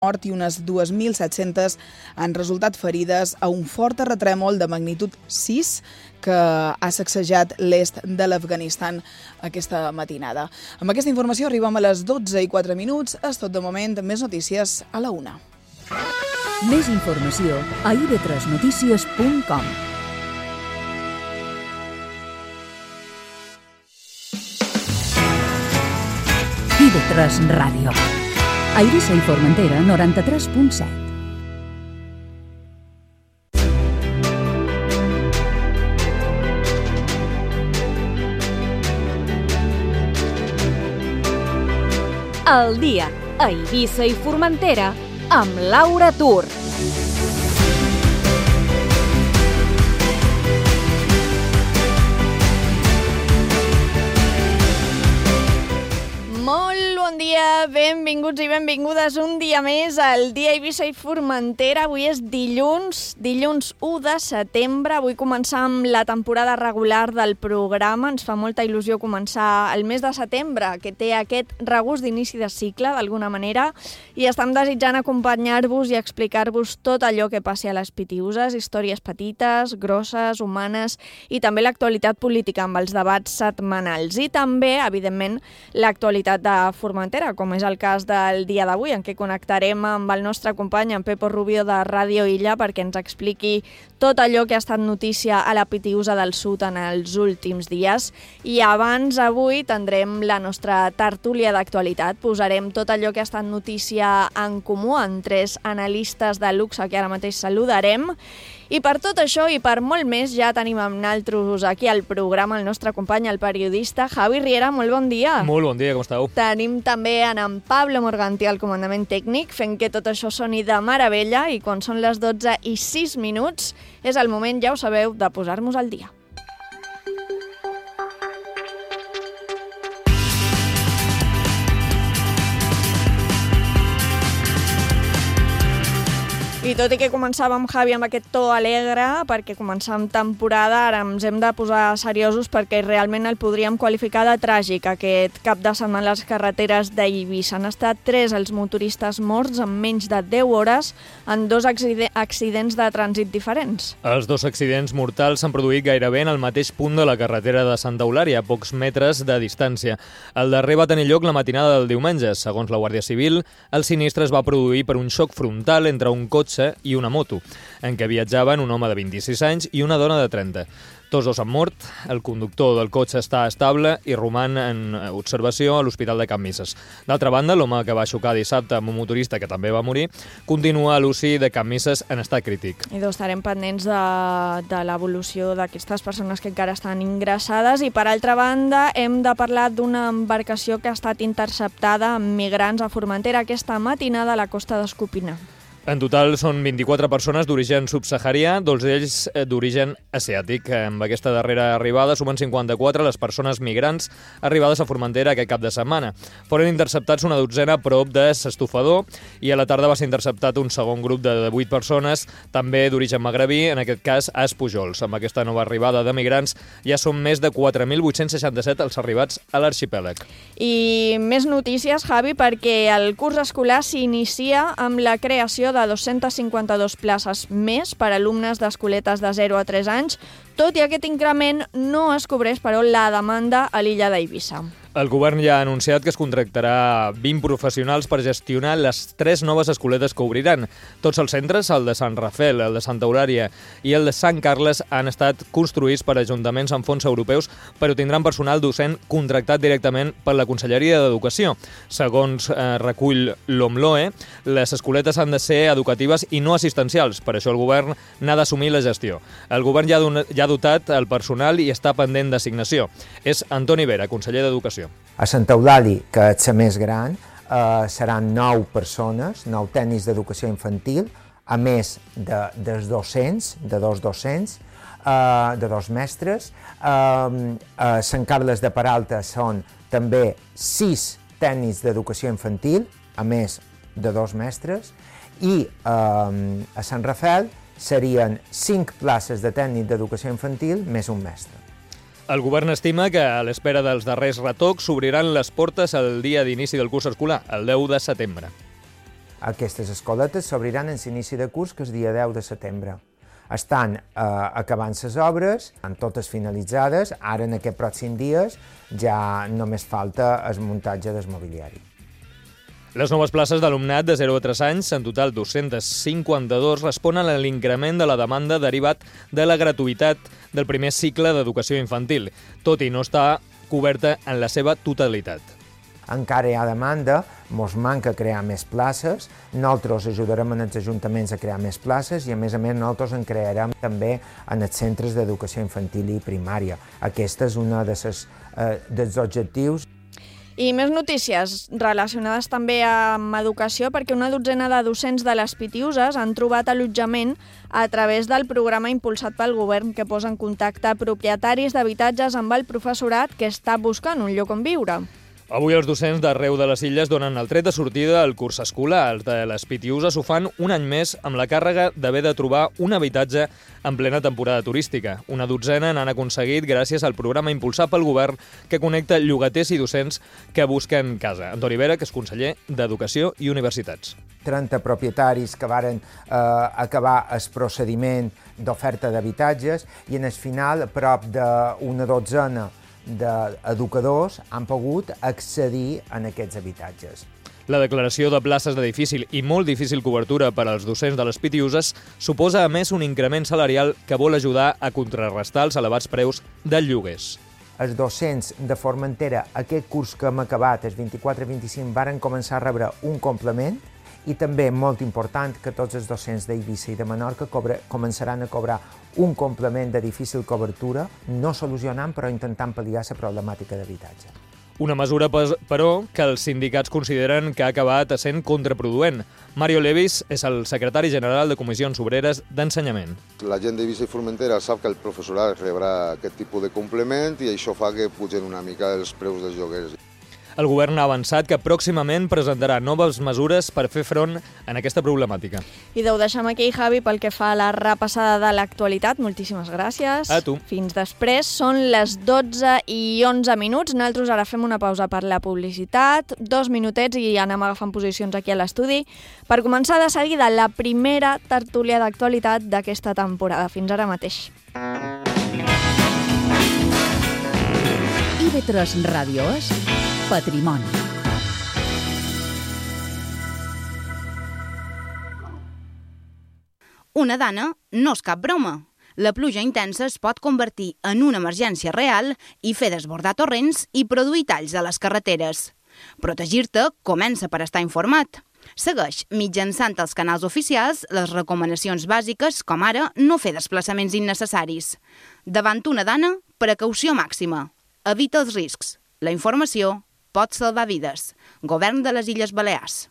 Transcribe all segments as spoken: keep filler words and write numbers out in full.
mort i unes dues mil set-centes han resultat ferides a un fort terratrèmol de magnitud sis que ha sacsejat l'est de l'Afganistan aquesta matinada. Amb aquesta informació arribem a les dotze i quatre minuts. És tot de moment. Més notícies a la una. Més informació a i ve tres notícies punt com. i ve tres Ràdio. A Eivissa i Formentera, noranta-tres punt set. El dia a Eivissa i Formentera amb Laura Tur. Molt bon dia, benvinguts i benvingudes un dia més al dia Eivissa i Formentera. Avui és dilluns, dilluns u de setembre. Avui començam la temporada regular del programa. Ens fa molta il·lusió començar el mes de setembre, que té aquest regust d'inici de cicle, d'alguna manera, i estem desitjant acompanyar-vos i explicar-vos tot allò que passi a les Pitiüses, històries petites, grosses, humanes, i també l'actualitat política amb els debats setmanals. I també, evidentment, l'actualitat de Formentera, com és el cas del dia d'avui, en què connectarem amb el nostre company, en Pepo Rubio de Ràdio Illa, perquè ens expliqui tot allò que ha estat notícia a la Pitiüsa del Sud en els últims dies. I abans, avui, tindrem la nostra tertúlia d'actualitat. Posarem tot allò que ha estat notícia en comú en tres analistes de luxe que ara mateix saludarem. I per tot això i per molt més ja tenim amb naltros aquí al programa el nostre company, el periodista Javi Riera. Molt bon dia. Molt bon dia, com esteu? Tenim també en, en Pablo Morganti al comandament tècnic, fent que tot això soni de meravella, i quan són les dotze i sis minuts és el moment, ja ho sabeu, de posar-nos al dia. I tot i que començàvem, Javi, amb aquest to alegre, perquè començàvem temporada, ara ens hem de posar seriosos perquè realment el podríem qualificar de tràgic. Aquest cap de setmana a les carreteres d'Eivissa han estat tres els motoristes morts en menys de deu hores en dos accidents de trànsit diferents. Els dos accidents mortals s'han produït gairebé en el mateix punt de la carretera de Santa Eulària, a pocs metres de distància. El darrer va tenir lloc la matinada del diumenge. Segons la Guàrdia Civil, el sinistre es va produir per un xoc frontal entre un cotxe i una moto, en què viatjaven un home de vint-i-sis anys i una dona de trenta. Tots dos han mort, el conductor del cotxe està estable i roman en observació a l'Hospital de Can Misses. D'altra banda, l'home que va xocar dissabte amb un motorista que també va morir continua a l'U C I de Can Misses en estat crític. I doncs estarem pendents de, de l'evolució d'aquestes persones que encara estan ingressades. I per altra banda, hem de parlar d'una embarcació que ha estat interceptada amb migrants a Formentera aquesta matinada a la costa d'Escopina. En total són vint-i-quatre persones d'origen subsaharià, dos d'ells d'origen asiàtic. Amb aquesta darrera arribada sumen cinquanta-quatre les persones migrants arribades a Formentera aquest cap de setmana. Foren interceptats una dotzena a prop de S'Estofador i a la tarda va ser interceptat un segon grup de vuit persones, també d'origen magrebí, en aquest cas a Espujols. Amb aquesta nova arribada de migrants ja són més de quatre mil vuit-cents seixanta-set els arribats a l'arxipèlag. I més notícies, Javi, perquè el curs escolar s'inicia amb la creació de dos-centes cinquanta-dues places més per a alumnes d'escoletes de zero a tres anys, tot i aquest increment no es cobreix, però, la demanda a l'illa d'Eivissa. El govern ja ha anunciat que es contractarà vint professionals per gestionar les tres noves escoletes que obriran. Tots els centres, el de Sant Rafel, el de Santa Eulària i el de Sant Carles, han estat construïts per ajuntaments amb fons europeus, però tindran personal docent contractat directament per la Conselleria d'Educació. Segons eh, recull l'OMLOE, les escoletes han de ser educatives i no assistencials. Per això el govern n'ha d'assumir la gestió. El govern ja, don- ja ha dotat el personal i està pendent d'assignació. És Antoni Vera, conseller d'Educació. A Santa Eulàlia, que és la més gran, eh, seran nou persones, nou tècnics d'educació infantil, a més de, dels docents, de dos docents, eh, de dos mestres. Eh, a Sant Carles de Peralta són també sis tècnics d'educació infantil, a més de dos mestres, i eh, a Sant Rafel serien cinc places de tècnic d'educació infantil més un mestre. El govern estima que, a l'espera dels darrers retocs, s'obriran les portes el dia d'inici del curs escolar, el deu de setembre. Aquestes escoletes s'obriran en l'inici de curs, que és dia deu de setembre. Estan eh, acabant les obres, estan totes finalitzades, ara en aquests pròxims dies ja només falta el muntatge del mobiliari. Les noves places d'alumnat de zero a tres anys, en total dos-cents cinquanta-dos, responen a l'increment de la demanda derivat de la gratuïtat del primer cicle d'educació infantil, tot i no està coberta en la seva totalitat. Encara hi ha demanda, ens manca crear més places, nosaltres ajudarem en els ajuntaments a crear més places i a més a més nosaltres en crearem també en els centres d'educació infantil i primària. Aquest és un de eh, dels objectius. I més notícies relacionades també amb educació, perquè una dotzena de docents de les Pitiuses han trobat allotjament a través del programa impulsat pel govern que posa en contacte propietaris d'habitatges amb el professorat que està buscant un lloc on viure. Avui els docents d'arreu de les illes donen el tret de sortida al curs escolar. Els de les Pitiuses ho fan un any més amb la càrrega d'haver de trobar un habitatge en plena temporada turística. Una dotzena n'han aconseguit gràcies al programa impulsat pel govern que connecta llogaters i docents que busquen casa. Antoni Vera, que és conseller d'Educació i Universitats. trenta propietaris que varen eh, acabar el procediment d'oferta d'habitatges i en el final prop d'una dotzena d'educadors han pogut accedir a aquests habitatges. La declaració de places de difícil i molt difícil cobertura per als docents de les Pitiuses suposa, a més, un increment salarial que vol ajudar a contrarrestar els elevats preus dels lloguers. Els docents de Formentera, aquest curs que hem acabat, el vint-i-quatre vint-i-cinc, varen començar a rebre un complement i també, molt important, que tots els docents d'Eivissa i de Menorca cobra, començaran a cobrar un complement de difícil cobertura, no solucionant, però intentant pal·liar la problemàtica d'habitatge. Una mesura, però, que els sindicats consideren que ha acabat sent contraproduent. Mario Levis és el secretari general de Comissions Obreres d'Ensenyament. La gent d'Eivissa i Formentera sap que el professorat rebrà aquest tipus de complement i això fa que pugen una mica els preus dels lloguers. El govern ha avançat que pròximament presentarà noves mesures per fer front en aquesta problemàtica. I ho deixem aquí, Javi, pel que fa a la repassada de l'actualitat. Moltíssimes gràcies. A tu. Fins després. Són les dotze i onze minuts. Nosaltres ara fem una pausa per la publicitat, dos minutets i anem agafant posicions aquí a l'estudi per començar de seguida la primera tertúlia d'actualitat d'aquesta temporada. Fins ara mateix. I V tres Ràdio és Patrimoni. Una dana no és cap broma. La pluja intensa es pot convertir en una emergència real i fer desbordar torrents i produir talls a les carreteres. Protegir-te comença per estar informat. Segueix, mitjançant els canals oficials, les recomanacions bàsiques, com ara no fer desplaçaments innecessaris. Davant una dana, precaució màxima. Evita els riscs. La informació pot salvar vides. Govern de les Illes Balears.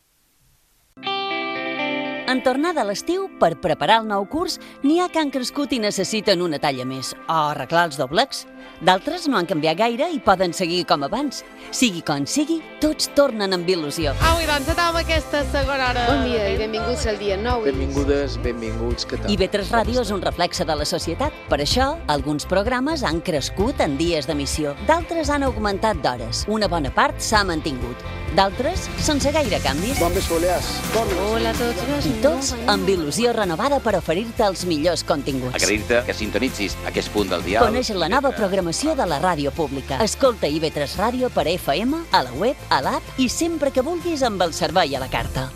En tornada a l'estiu, per preparar el nou curs, n'hi ha que han crescut i necessiten una talla més, o arreglar els doblecs. D'altres no han canviat gaire i poden seguir com abans. Sigui com sigui, tots tornen amb il·lusió. Au, i doncs, amb aquesta segona hora. Bon dia i benvinguts al dia nou. Benvingudes, benvinguts, què tal? I V tres Ràdio és un reflexe de la societat. Per això, alguns programes han crescut en dies d'emissió. D'altres han augmentat d'hores. Una bona part s'ha mantingut. D'altres, sense gaire canvis. Bon vespre, Balears. Hola a tots. I tots amb il·lusió renovada per oferir-te els millors continguts. Agrair-te que sintonitzis aquest punt del dial. Coneix la nova programació de la ràdio pública. Escolta I V tres Ràdio per F M, a la web, a l'app i sempre que vulguis amb el servei a la carta.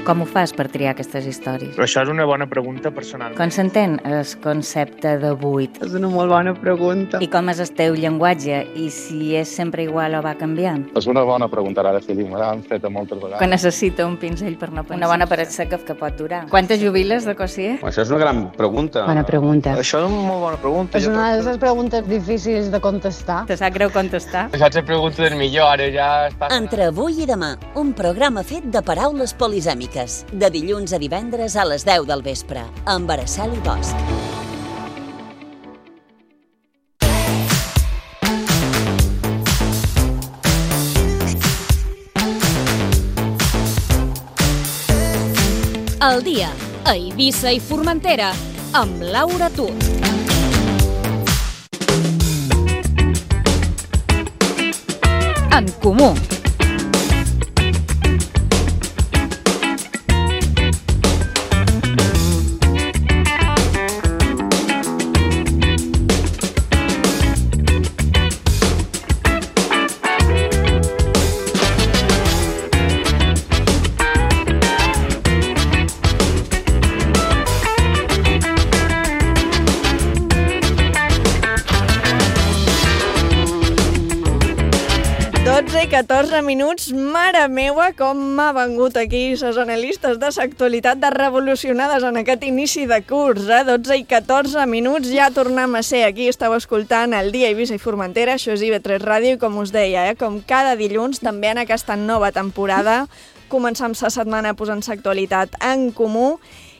Com ho fas per triar aquestes històries? Però això és una bona pregunta personal. Com s'entén el concepte de buit? És una molt bona pregunta. I com és el teu llenguatge? I si és sempre igual o va canviant? És una bona pregunta, ara, Felip. Me l'han fet moltes vegades. Que necessita un pinzell per no pensar. Una bona paret seca que pot durar. Quantes jubiles de Cossier? Això és una gran pregunta. Bona pregunta. Això és una molt bona pregunta. És una de les preguntes difícils de contestar. Te sap greu contestar? Això és la pregunta del millor, ara ja està... Entre avui i demà, un programa fet de paraules polisèmiques. De dilluns a divendres a les deu del vespre, amb Araceli Bosch. El dia a Eivissa i Formentera, amb Laura Tut. En Comú. dotze i catorze minuts, mare meua, com m'ha vengut aquí les analistes de l'actualitat de revolucionades en aquest inici de curs, eh? dotze i catorze minuts, ja tornem a ser aquí, esteu escoltant el Dia Eivissa i Formentera, això és I V tres Ràdio, i com us deia, eh? com cada dilluns, també en aquesta nova temporada, començam la setmana posant l'actualitat en comú,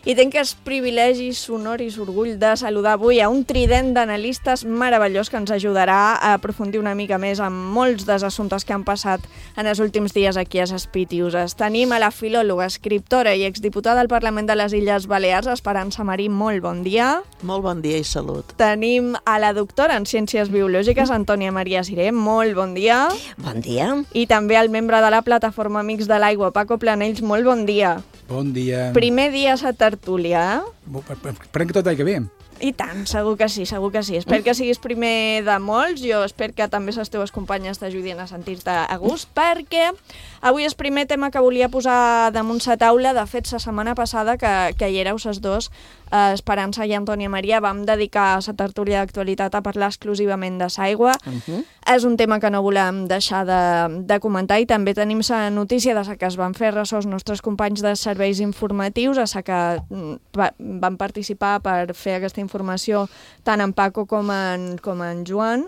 i tinc el privilegi sonor i l'orgull de saludar avui a un trident d'analistes meravellós que ens ajudarà a aprofundir una mica més en molts dels assumptes que han passat en els últims dies aquí a les Pitiuses. Tenim a la filòloga, escriptora i exdiputada al Parlament de les Illes Balears, Esperança Marí, molt bon dia. Molt bon dia i salut. Tenim a la doctora en Ciències Biològiques, Antònia Maria Siré, molt bon dia. Bon dia. I també el membre de la plataforma Amics de l'Aigua, Paco Planells, molt bon dia. Bon dia. Primer dia a la tertúlia, eh? Esperem que tot vagi bé. I tant, segur que sí, segur que sí. Espero que siguis primer de molts, jo espero que també les teves companyes t'ajudin a sentir-te a gust, perquè avui és el primer tema que volia posar damunt la taula. De fet, la setmana passada, que, que hi éreu les dos, eh, Esperança i Antònia Maria, vam dedicar la tertúlia d'actualitat a parlar exclusivament de l'aigua. Uh-huh. És un tema que no volem deixar de, de comentar, i també tenim la notícia de la que es van fer ressò els nostres companys de serveis informatius, a la que va, van participar per fer aquesta informació tant en Paco com en, com en Joan,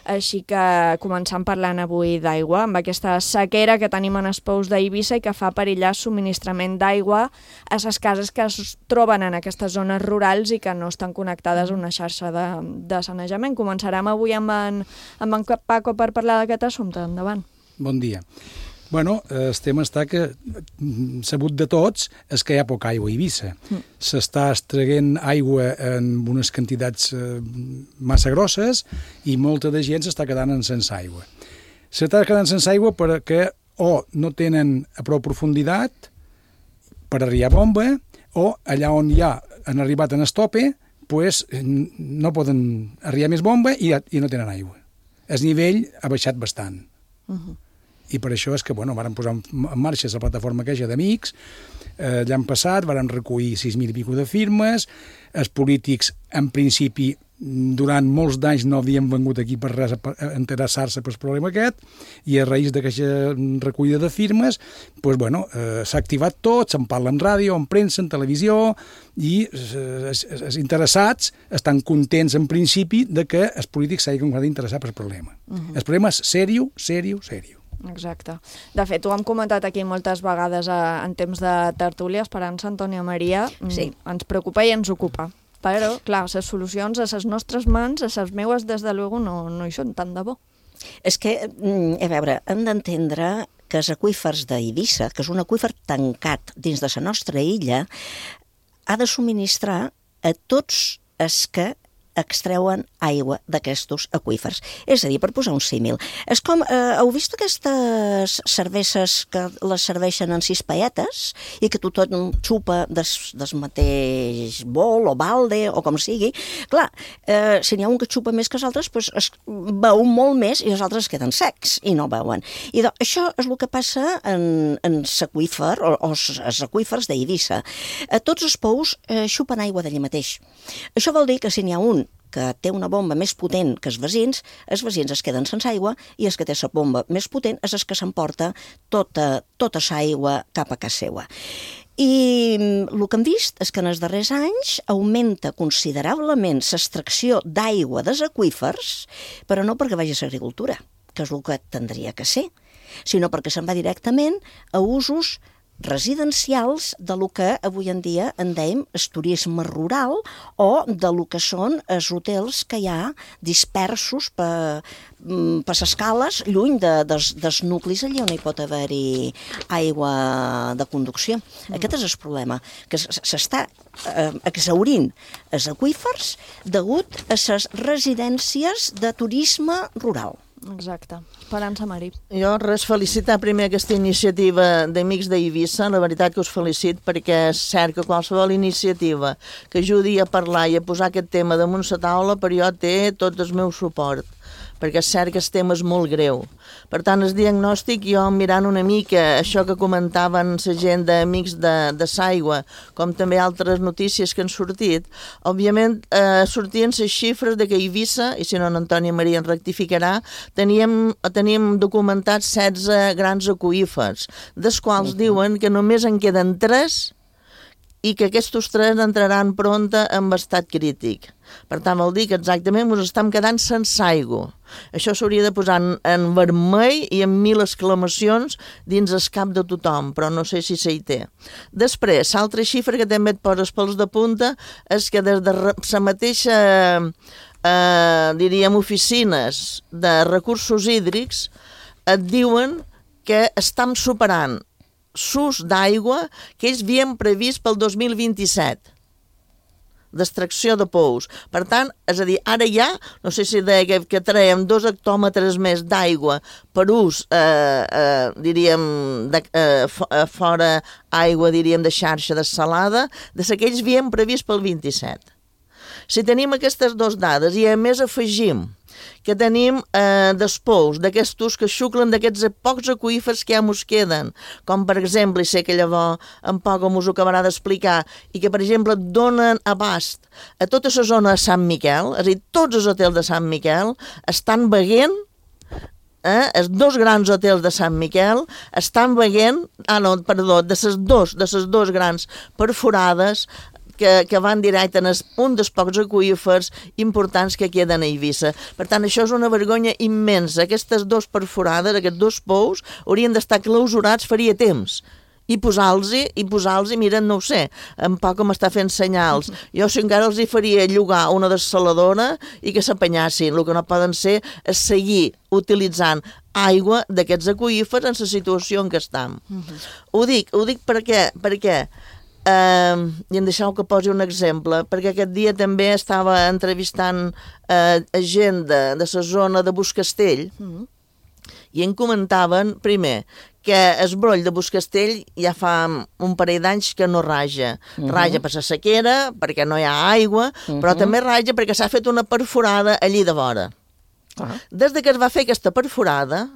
així que començam parlant avui d'aigua, amb aquesta sequera que tenim en els pous d'Eivissa i que fa perillar el subministrament d'aigua a les cases que es troben en aquestes zones rurals i que no estan connectades a una xarxa de, de sanejament. Començarem avui amb en, amb en Paco per parlar d'aquest assumpte. Endavant. Bon dia. Bueno, el tema està que, sabut de tots, és que hi ha poca aigua a Eivissa. Mm. S'està extraient aigua en unes quantitats eh, massa grosses i molta de gent s'està quedant sense aigua. S'està quedant sense aigua perquè o no tenen a prou profunditat per arribar a bomba, o allà on ja han arribat en estope, pues, no poden arribar més bomba i, i no tenen aigua. El nivell ha baixat bastant. Uh-huh. I per això és que, bueno, vàrem posar en marxa la plataforma aquella d'Amics, eh, l'any passat vàrem recollir sis mil i pico de firmes, els polítics, en principi, durant molts d'anys no havien vengut aquí per res a interessar-se pel problema aquest, i a raïs d'aquesta recollida de firmes, pues, bueno, eh, s'ha activat tot, se'n parla en ràdio, en premsa, en televisió, i eh, els interessats estan contents, en principi, de que els polítics s'hagin d'interessar pel problema. Uh-huh. El problema és sèrio, sèrio, sèrio. Exacte. De fet, ho hem comentat aquí moltes vegades a, en temps de tertúlia, Esperança, Antònia Maria, sí. Ens preocupa i ens ocupa. Però, clar, les solucions a les nostres mans, a les meues, des de luego, no, no hi són tant de bo. És que, a veure, hem d'entendre que els aqüífers d'Eivissa, que és un aqüífer tancat dins de la nostra illa, ha de subministrar a tots els que extreuen aigua d'aquestos aqüífers. És a dir, per posar un símil, és com, eh, heu vist aquestes cerveses que les serveixen en sis paetes i que tothom xupa des, des mateix bol o balde o com sigui? Clar, eh, si n'hi ha un que xupa més que els altres, doncs es beu molt més i els altres es queden secs i no beuen. I doncs, això és el que passa en, en l'aqüífer o, o els aqüífers d'Eivissa. Eh, tots els pous eh, xupen aigua d'allà mateix. Això vol dir que si n'hi ha un que té una bomba més potent que els veïns, els veïns es queden sense aigua i els que té la bomba més potent és el que s'emporta tota, tota l'aigua cap a casa seva. I el que hem vist és que en els darrers anys augmenta considerablement l'extracció d'aigua dels aqüífers, però no perquè vagi a l'agricultura, que és el que tindria que ser, sinó perquè se'n va directament a usos residencials de lo que avui en dia en dèiem el turisme rural o de lo que són els hotels que hi ha dispersos per, per les cales lluny de, dels, dels nuclis allà on hi pot haver-hi aigua de conducció. Mm. Aquest és el problema, que s'està eh, exhaurint els aqüífers degut a les residències de turisme rural. Exacte. Esperança Marí. Jo res, felicitar primer aquesta iniciativa d'Amics d'Eivissa, la veritat que us felicit perquè és cert que qualsevol iniciativa que ajudi a parlar i a posar aquest tema damunt la taula per jo té tot el meu suport, perquè és cert que el tema és molt greu. Per tant, el diagnòstic, jo mirant una mica això que comentaven la gent d'Amics de, de s'Aigua, com també altres notícies que han sortit, òbviament eh, sortien les xifres de que a Eivissa, i si no, Antònia Maria en rectificarà, teníem, teníem documentats setze grans aqüífers, dels quals uh-huh. diuen que només en queden tres i que aquests tres entraran pronta en estat crític. Per tant, vol dir que exactament ens estem quedant sense aigua. Això s'hauria de posar en, en vermell i amb mil exclamacions dins el cap de tothom, però no sé si s'hi té. Després, l'altra xifra que també et poses pels de punta és que des de la mateixa, eh, diríem, oficines de recursos hídrics et diuen que estem superant s'ús d'aigua que ells havien previst pel dos mil vint-i-set, d'extracció de pous. Per tant, és a dir, ara ja, no sé si deia que, que traiem dos hectòmetres més d'aigua per ús, eh, eh, diríem, de, eh, fora aigua, diríem, de xarxa dessalada, de la que ells havien previst pel vint-i-set. Si tenim aquestes dues dades i a més afegim que tenim eh, despous d'aquests que xuclen d'aquests pocs aqüífers que ja mos queden, com per exemple, i sé que llavors en poc mos ho acabarà d'explicar, i que per exemple donen abast a tota la zona de Sant Miquel, és a dir, tots els hotels de Sant Miquel estan veient, eh, els dos grans hotels de Sant Miquel estan veient, ah no, perdó, de les dos, de les dos grans perforades que, que van directe en un dels pocs aqüífers importants que queden a Eivissa. Per tant, això és una vergonya immensa. Aquestes dues perforades, aquests dos pous, haurien d'estar clausurats faria temps. I posar-los, i posar-los, miren, no ho sé, en poc com està fent senyals. Jo si encara els hi faria llogar una dessaladora i que s'apanyassin. El que no poden ser és seguir utilitzant aigua d'aquests aqüífers en la situació en què estem. Uh-huh. Ho dic, ho dic perquè, perquè eh, i em deixeu que posi un exemple, perquè aquest dia també estava entrevistant eh, gent de, de la zona de Buscastell, uh-huh. i em comentaven, primer, que el broll de Buscastell ja fa un parell d'anys que no raja. Uh-huh. Raja per la sequera, perquè no hi ha aigua, uh-huh. però també raja perquè s'ha fet una perforada allí de vora. Uh-huh. Des de que es va fer aquesta perforada,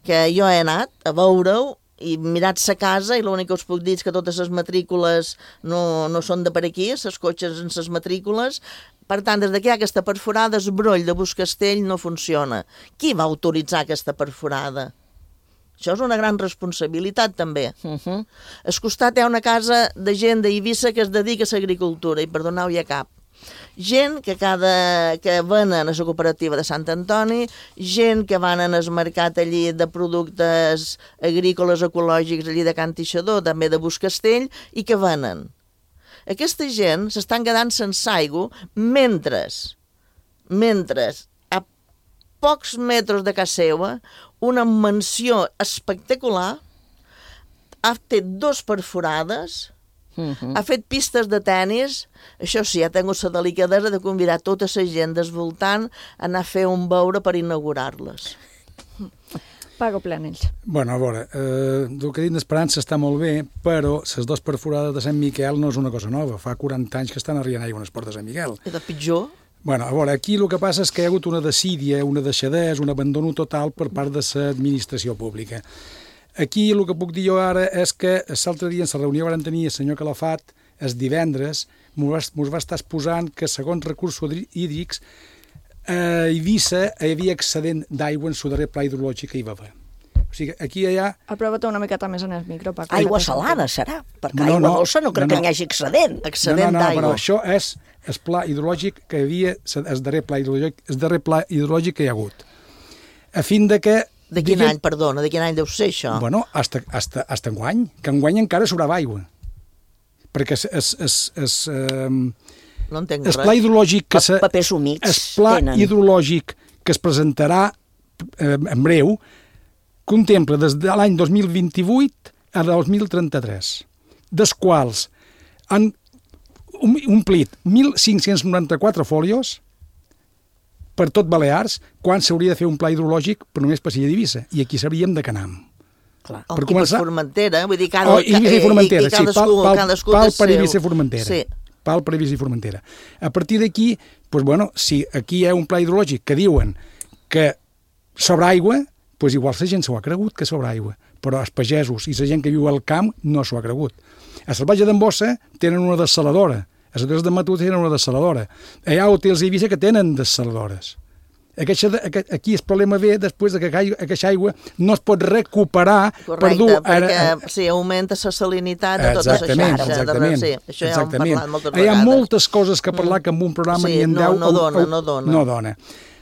que jo he anat a veure-ho, i mirat sa casa, i l'únic que us puc dir és que totes les matrícules no, no són de per aquí, els cotxes en les matrícules. Per tant, des que hi ha aquesta perforada, el broll de Buscastell no funciona. Qui va autoritzar aquesta perforada? Això és una gran responsabilitat, també. Uh-huh. Al costat hi ha una casa de gent d'Eivissa que es dedica a l'agricultura, i perdoneu, hi ha cap. Gent que, cada, que venen a la cooperativa de Sant Antoni, gent que van al mercat allí de productes agrícoles ecològics allí de Can Tixador, també de Buscastell, i que venen. Aquesta gent s'estan quedant sense aigua mentre, mentre a pocs metres de casa seva, una mansió espectacular ha fet dos perforades, uh-huh. ha fet pistes de tennis. Això sí, ha tingut la delicadesa de convidar tota la gent del voltant a anar a fer un beure per inaugurar-les. Pago Planells. Bueno, a veure, eh, el que he dit d'Esperança està molt bé, però les dues perforades de Sant Miquel no és una cosa nova. Fa quaranta anys que estan arribant aigua a les portes de Sant Miquel. I de pitjor? Bueno, a veure, aquí el que passa és que hi ha hagut una desídia, una deixadesa, un abandono total per part de l'administració pública. Aquí el que puc dir jo ara és que l'altre dia en la reunió que vam tenir el senyor Calafat, el divendres, ens va estar exposant que segons recursos hídrics a Eivissa hi havia excedent d'aigua en el darrer pla hidrològic que hi va haver. O sigui, aquí hi ha... Aprova-te una miqueta més en el micro, Paco. Aigua salada, serà? Perquè no, aigua no, dolça no crec no, no. que n'hi hagi excedent. Excedent no, no, no, d'aigua. Però això és el pla hidrològic que hi havia, el darrer pla hidrològic, el darrer pla hidrològic que hi ha hagut. A fin de que... De quin diguem, any, perdona, de quin any deu ser això? Bueno, hasta, hasta, hasta enguany, que enguany encara sobrava aigua. Perquè es... es, es, es um, no entenc res. El pla hidrològic que se, papers humits el pla tenen. hidrològic que es presentarà eh, en breu contempla des de l'any dos mil vint-i-vuit a dos mil trenta-tres, dels quals han omplit mil cinc-cents noranta-quatre fòlios per tot Balears, quan s'hauria de fer un pla hidrològic però només per l'illa d'Eivissa, i aquí sabríem de Canam. Clar. Per I començar... per Formentera, vull dir, cada, oh, Eivissa i Formentera, i, i cadascú, sí, pal, pal, pal per seu... Eivissa i Formentera. Sí. Pal per Eivissa i Formentera. A partir d'aquí, doncs, bueno, si aquí hi ha un pla hidrològic que diuen que sobre aigua, doncs igual la gent s'ho ha cregut que sobre aigua, però els pagesos i la gent que viu al camp no s'ho ha cregut. A Salvatge d'Embossa tenen una dessaladora, a les Terres de Matut tenen una dessaladora, hi ha hotels a Eivissa que tenen dessaladores. Aquesta, aquí el problema ve després que aquesta aigua no es pot recuperar. Correcte, per dur, perquè ara, sí, augmenta la salinitat de tota la xarxa. Exactament, sí, això ja exactament. Hem parlat moltes Hi vegades. ha moltes coses que parlar que en un programa sí, ni en no, deu... No dona, no dona. No dona.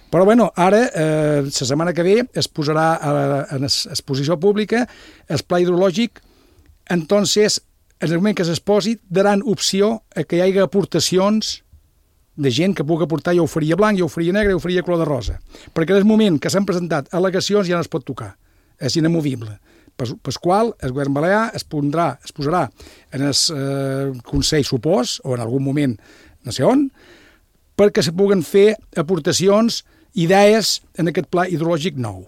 Però, bueno, ara, eh, la setmana que ve, es posarà a, a, a exposició pública el pla hidrològic. Entonces, en el moment que s'exposi, daran opció a que hi hagi aportacions de gent que pugui aportar, ja ho faria blanc, ja ho faria negre, ja ho faria color de rosa. Perquè en el moment que s'han presentat al·legacions ja no es pot tocar. És inamovible. Per, per qual el govern balear es, pondrà, es posarà en el eh, Consell, supos, o en algun moment, no sé on, perquè se puguen fer aportacions, idees en aquest pla hidrològic nou.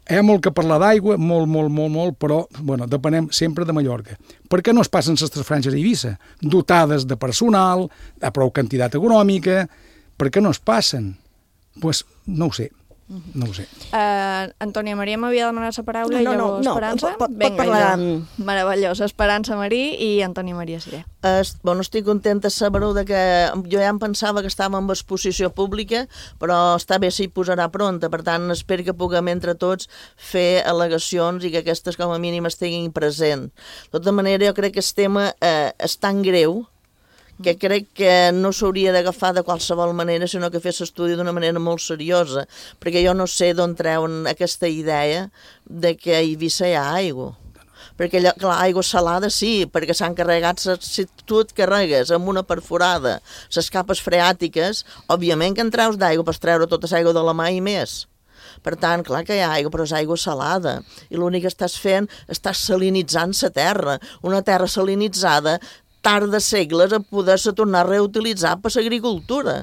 Hi ha molt que parlar d'aigua, molt, molt, molt, molt, però bueno, depenem sempre de Mallorca. Per què no es passen les tres franges d'Eivissa? Dotades de personal, de prou quantitat econòmica, per què no es passen? Doncs pues, no ho sé. No ho sé. Uh, Antònia Maria m'havia demanat la paraula no, no, i llavors no, Esperança. No, pot, pot Vinga, parlar... Jo. Meravellós. Esperança Marí i Antònia Maria Siré. Es, bueno, estic contenta de saber de que jo ja em pensava que estàvem en exposició pública, però està bé si hi posarà pronta, per tant espero que puguem entre tots fer al·legacions i que aquestes com a mínim estiguin present. De tota manera, jo crec que el tema eh, és tan greu que crec que no s'hauria d'agafar de qualsevol manera, sinó que fes l'estudi d'una manera molt seriosa, perquè jo no sé d'on treuen aquesta idea de que a Eivissa hi ha aigua. Perquè, clar, aigua salada sí, perquè s'han carregat, si tu et carregues amb una perforada les capes freàtiques, òbviament que en treus d'aigua, pots treure tota l'aigua de la mà i més. Per tant, clar que hi ha aigua, però és aigua salada. I l'únic que estàs fent, estàs salinitzant la terra. Una terra salinitzada tarda segles a poder-se tornar a reutilitzar per l'agricultura.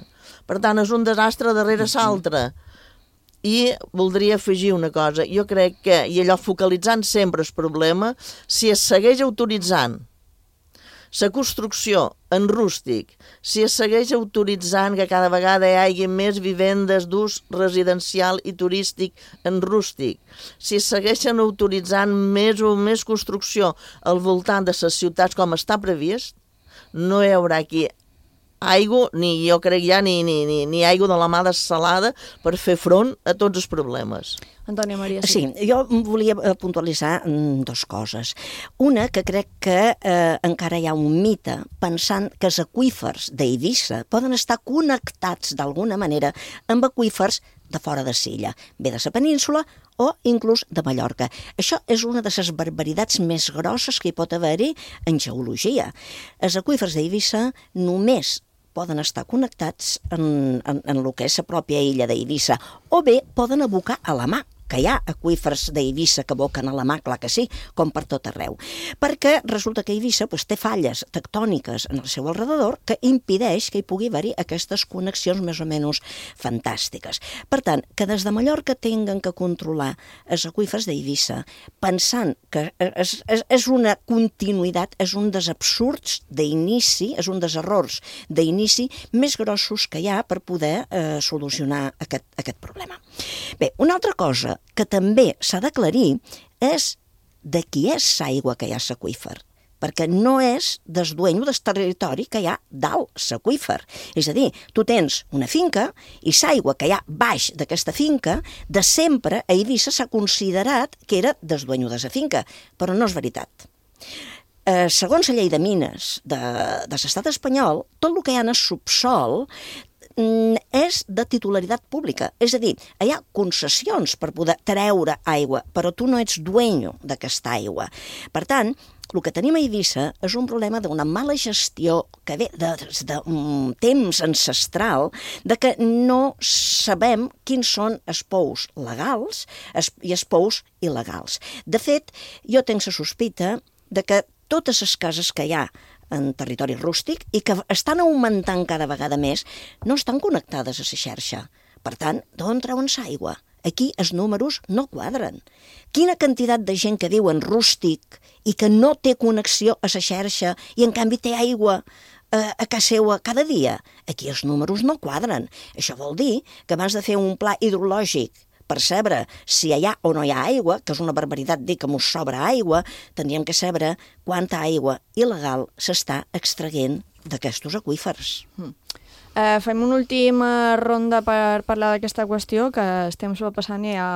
Per tant, és un desastre darrere l'altre. I voldria afegir una cosa. Jo crec que, i allò focalitzant sempre el problema, si es segueix autoritzant la construcció en rústic, si es segueix autoritzant que cada vegada hi hagi més vivendes d'ús residencial i turístic en rústic, si es segueixen autoritzant més o més construcció al voltant de les ciutats com està previst, no hi haurà aquí aigua, ni jo crec ja, ni, ni, ni, ni aigua de la mà dessalada per fer front a tots els problemes. Antònia Maria. Sí, jo volia puntualitzar dues coses. Una, que crec que eh, encara hi ha un mite pensant que els aqüífers d'Eivissa poden estar connectats d'alguna manera amb aqüífers de fora de l'illa, bé de la península o inclús de Mallorca. Això és una de les barbaritats més grosses que hi pot haver-hi en geologia. Els aqüífers d'Eivissa només poden estar connectats en, en, en el que és la pròpia illa d'Eivissa, o bé poden abocar a la mà, que hi ha aqüífers d'Eivissa que aboquen a la mà, clar que sí, com per tot arreu. Perquè resulta que Eivissa pues, té falles tectòniques en el seu alrededor que impedeix que hi pugui haver-hi aquestes connexions més o menys fantàstiques. Per tant, que des de Mallorca tinguen que controlar els aqüífers d'Eivissa, pensant que és, és, és una continuïtat, és un dels absurds d'inici, és un dels errors d'inici més grossos que hi ha per poder eh, solucionar aquest, aquest problema. Bé, una altra cosa que també s'ha d'aclarir és de qui és l'aigua que hi ha a l'aqüífer, perquè no és del dueño del territori que hi ha dalt l'aqüífer. És a dir, tu tens una finca i l'aigua que hi ha baix d'aquesta finca, de sempre a Eivissa s'ha considerat que era del dueño de la finca, però no és veritat. Eh, segons la llei de mines de, de l'estat espanyol, tot el que hi ha en el subsol és de titularitat pública, és a dir, hi ha concessions per poder treure aigua, però tu no ets dueño d'aquesta aigua. Per tant, el que tenim a Eivissa és un problema d'una mala gestió que ve d'un temps ancestral, de que no sabem quins són els pous legals i els pous il·legals. De fet, jo tinc la sospita de que totes les cases que hi ha en territori rústic i que estan augmentant cada vegada més, no estan connectades a la xarxa, Per tant, d'on treuen l'aigua? Aquí els números no quadren. Quina quantitat de gent que viu en rústic i que no té connexió a la xarxa i en canvi té aigua a, a casa seva cada dia? Aquí els números no quadren. Això vol dir que abans de fer un pla hidrològic per saber si hi ha o no hi ha aigua, que és una barbaritat dir que mos sobra aigua, tindríem que saber quanta aigua il·legal s'està extraient d'aquests aqüífers. Mm. Uh, fem una última ronda per parlar d'aquesta qüestió, que estem sobrepassant i hi ha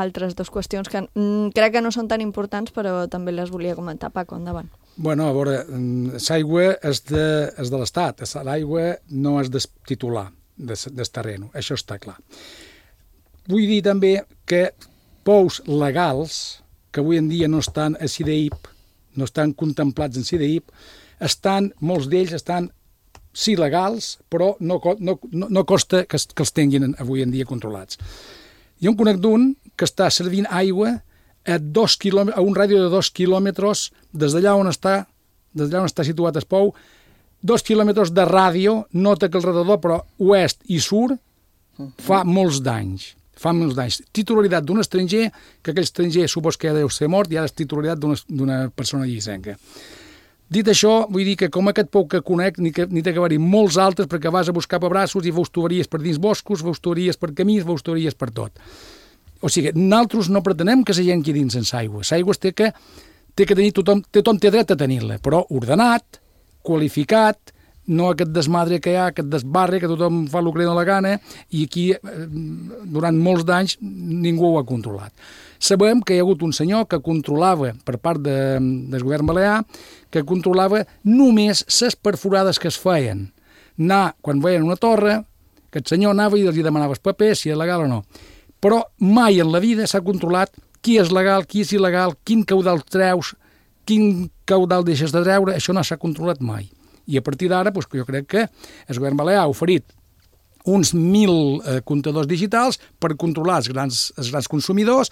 altres dues qüestions que mm, crec que no són tan importants, però també les volia comentar. Paco, endavant. Bueno, a veure, l'aigua és de, és de l'Estat, l'aigua no és del titular del terreno, això està clar. Vull dir també que pous legals, que avui en dia no estan a C D I P, no estan contemplats en C D I P, estan, molts d'ells estan sí legals, però no, no, no costa que, que els tinguin avui en dia controlats. Jo en conec d'un que està servint aigua a, dos a un ràdio de dos quilòmetres des d'allà on està, des d'allà on està situat el pou, dos quilòmetres de ràdio, nota que al redador, però oest i sud, fa molts danys. Fa molts danys. Titularitat d'un estranger, que aquell estranger supos que deu ser mort, i ara és titularitat d'una persona llicenca. Dit això, vull dir que com aquest pou que conec, ni, que, ni té que haver-hi molts altres, perquè vas a buscar pebrassos i veus tuberies per dins boscos, veus tuberies per camins, veus tuberies per tot. O sigui, nosaltres no pretenem que la gent quedi dins sense aigua. L'aigua té que, té que tenir tothom, tothom té dret a tenir-la, però ordenat, qualificat, no aquest desmadre que hi ha, aquest desbarre, que tothom fa el que li dona la gana, i aquí, durant molts d'anys, ningú ho ha controlat. Sabem que hi ha hagut un senyor que controlava, per part de, del govern balear, que controlava només les perforades que es feien. Anar, quan veien una torre, aquest senyor anava i els demanava els papers, si és legal o no. Però mai en la vida s'ha controlat qui és legal, qui és il·legal, quin caudal treus, quin caudal deixes de treure, això no s'ha controlat mai. I a partir d'ara, doncs, jo crec que el govern balear ha oferit uns mil eh, comptadors digitals per controlar els grans, els grans consumidors,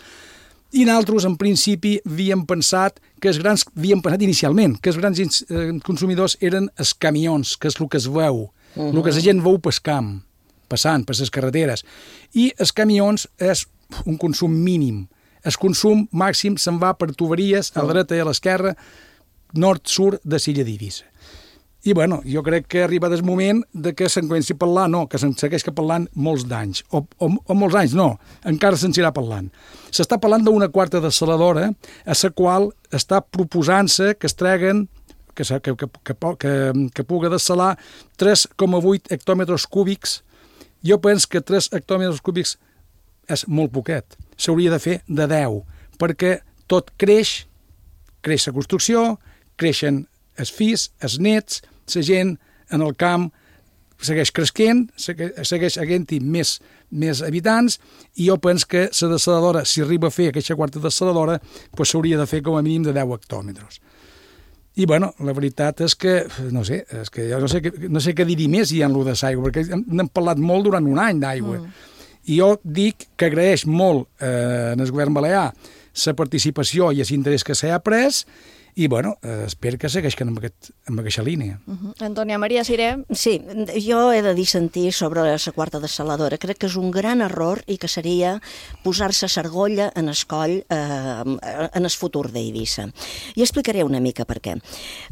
i nosaltres, en principi, havíem pensat que els grans, havíem pensat inicialment que els grans eh, consumidors eren els camions, que és el que es veu, uh-huh. el que la gent veu pel camp, passant per les carreteres. I els camions és un consum mínim. El consum màxim se'n va per tuberies a la dreta i a l'esquerra, nord-sud de l'illa d'Eivissa. I, bueno, jo crec que arriba el moment de que se'n comenci a parlar, no, que se'n segueix parlant molts d'anys, o, o, o molts anys, no, encara se'n anirà parlant. S'està parlant d'una quarta dessaladora, a la qual està proposant-se que es treguen, que, que, que, que, que, que puga dessalar tres coma vuit hectòmetres cúbics. Jo penso que tres hectòmetres cúbics és molt poquet. S'hauria de fer de deu, perquè tot creix, creix la construcció, creixen els fills, els nets, la gent en el camp segueix creixent, segueix havent-hi més, més habitants, i jo penso que la dessaladora, si arriba a fer aquesta quarta dessaladora, doncs s'hauria de fer com a mínim de deu hectòmetres. I, bueno, la veritat és que, no sé, és que jo no sé, no sé què dir més hi ha en lo de l'aigua, perquè n'hem parlat molt durant un any d'aigua. Mm. I jo dic que agraeix molt eh, en el govern balear la participació i l'interès que s'ha pres, i, bueno, eh, espero que segueixin amb, aquest, amb aquesta línia. Uh-huh. Antònia Maria Siré. Sí, jo he de dissentir sobre la quarta dessaladora. Crec que és un gran error i que seria posar-se s'argolla en el coll eh, en el futur d'Eivissa. I explicaré una mica per què.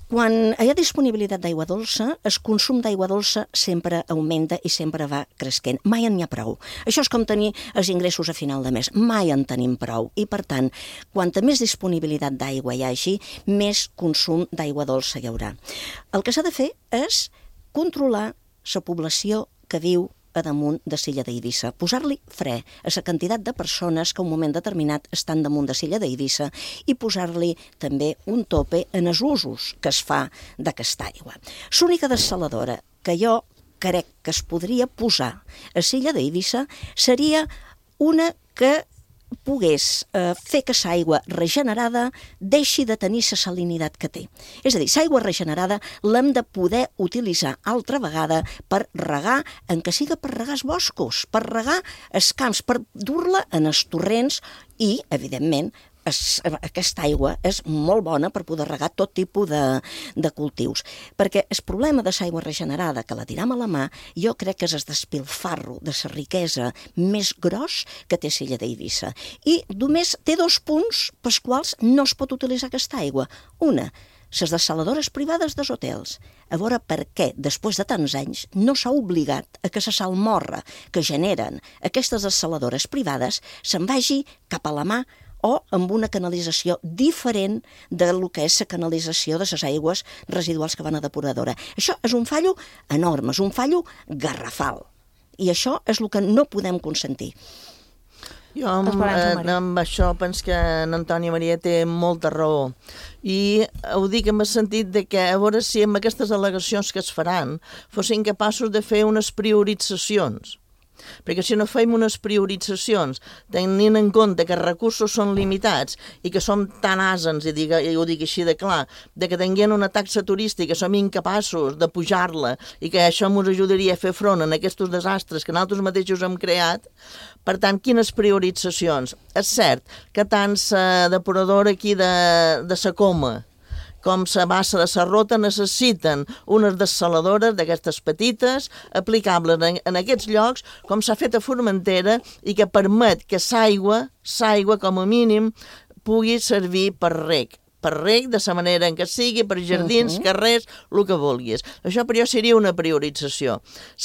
Quan hi ha disponibilitat d'aigua dolça, el consum d'aigua dolça sempre augmenta i sempre va creixent. Mai en n'hi ha prou. Això és com tenir els ingressos a final de mes. Mai en tenim prou. I, per tant, quanta més disponibilitat d'aigua hi hagi, més consum d'aigua dolça hi haurà. El que s'ha de fer és controlar la població que viu a damunt de l'illa d'Eivissa, posar-li fre a la quantitat de persones que a un moment determinat estan damunt de l'illa d'Eivissa i posar-li també un tope en els usos que es fa d'aquesta aigua. L'única dessaladora que jo crec que es podria posar a l'illa d'Eivissa seria una que pogués eh, fer que l'aigua regenerada deixi de tenir la salinitat que té. És a dir, l'aigua regenerada l'hem de poder utilitzar altra vegada per regar, en que siga per regar els boscos, per regar els camps, per dur-la en els torrents i, evidentment, es, aquesta aigua és molt bona per poder regar tot tipus de, de cultius. Perquè el problema de l'aigua regenerada, que la tiram a la mà, jo crec que és el despilfarro de la riquesa més gros que té l'illa d'Eivissa. I només té dos punts pels quals no es pot utilitzar aquesta aigua. Una, les dessaladores privades dels hotels. A veure per què, després de tants anys, no s'ha obligat a que la salmorra que generen aquestes dessaladores privades se'n vagi cap a la mà o amb una canalització diferent del que és la canalització de les aigües residuals que van a depuradora. Això és un fallo enorme, és un fallo garrafal. I això és el que no podem consentir. Jo amb, eh, amb això penso que en Antoni Maria té molta raó. I ho dic en el sentit de que a veure si amb aquestes al·legacions que es faran fossin capaços de fer unes prioritzacions. Perquè si no fem unes prioritzacions tenint en compte que els recursos són limitats i que som tan àsens, i, diga, i ho dic així de clar, de que tinguem una taxa turística, som incapaços de pujar-la i que això ens ajudaria a fer front a aquests desastres que nosaltres mateixos hem creat. Per tant, quines prioritzacions? És cert que tant la depuradora aquí de, de la Coma com la bassa de la Rota necessiten unes dessaladores d'aquestes petites, aplicables en, en aquests llocs, com s'ha fet a Formentera, i que permet que l'aigua, l'aigua com a mínim, pugui servir per reg. Per reg, de la manera en què sigui, per jardins, uh-huh. carrers, el que vulguis. Això per jo seria una priorització.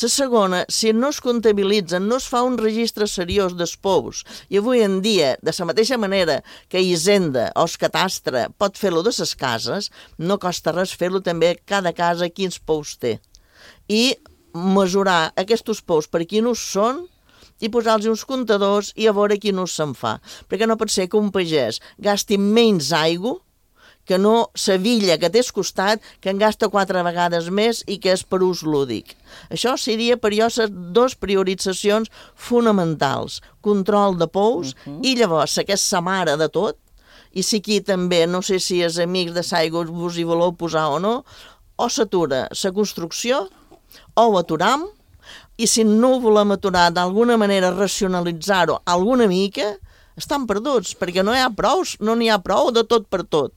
La segona, si no es comptabilitzen, no es fa un registre seriós dels pous, i avui en dia, de la mateixa manera que Hisenda o el Catastre pot fer-lo de les cases, no costa res fer-lo també cada casa quins pous té. I mesurar aquests pous per quin ús són, i posar-los uns comptadors i a veure quin ús se'n fa. Perquè no pot ser que un pagès gasti menys aigua que no la villa que té al costat, que en gasta quatre vegades més i que és per ús lúdic. Això seria per jo les dues prioritzacions fonamentals. Control de pous uh-huh. i llavors, que és la mare de tot, i si aquí també, no sé si els amics de l'aigua vos hi voleu posar o no, o s'atura la construcció, o ho aturam, i si no ho volem aturar d'alguna manera racionalitzar-ho alguna mica, estan perduts, perquè no hi ha prou, no n'hi ha prou de tot per tot.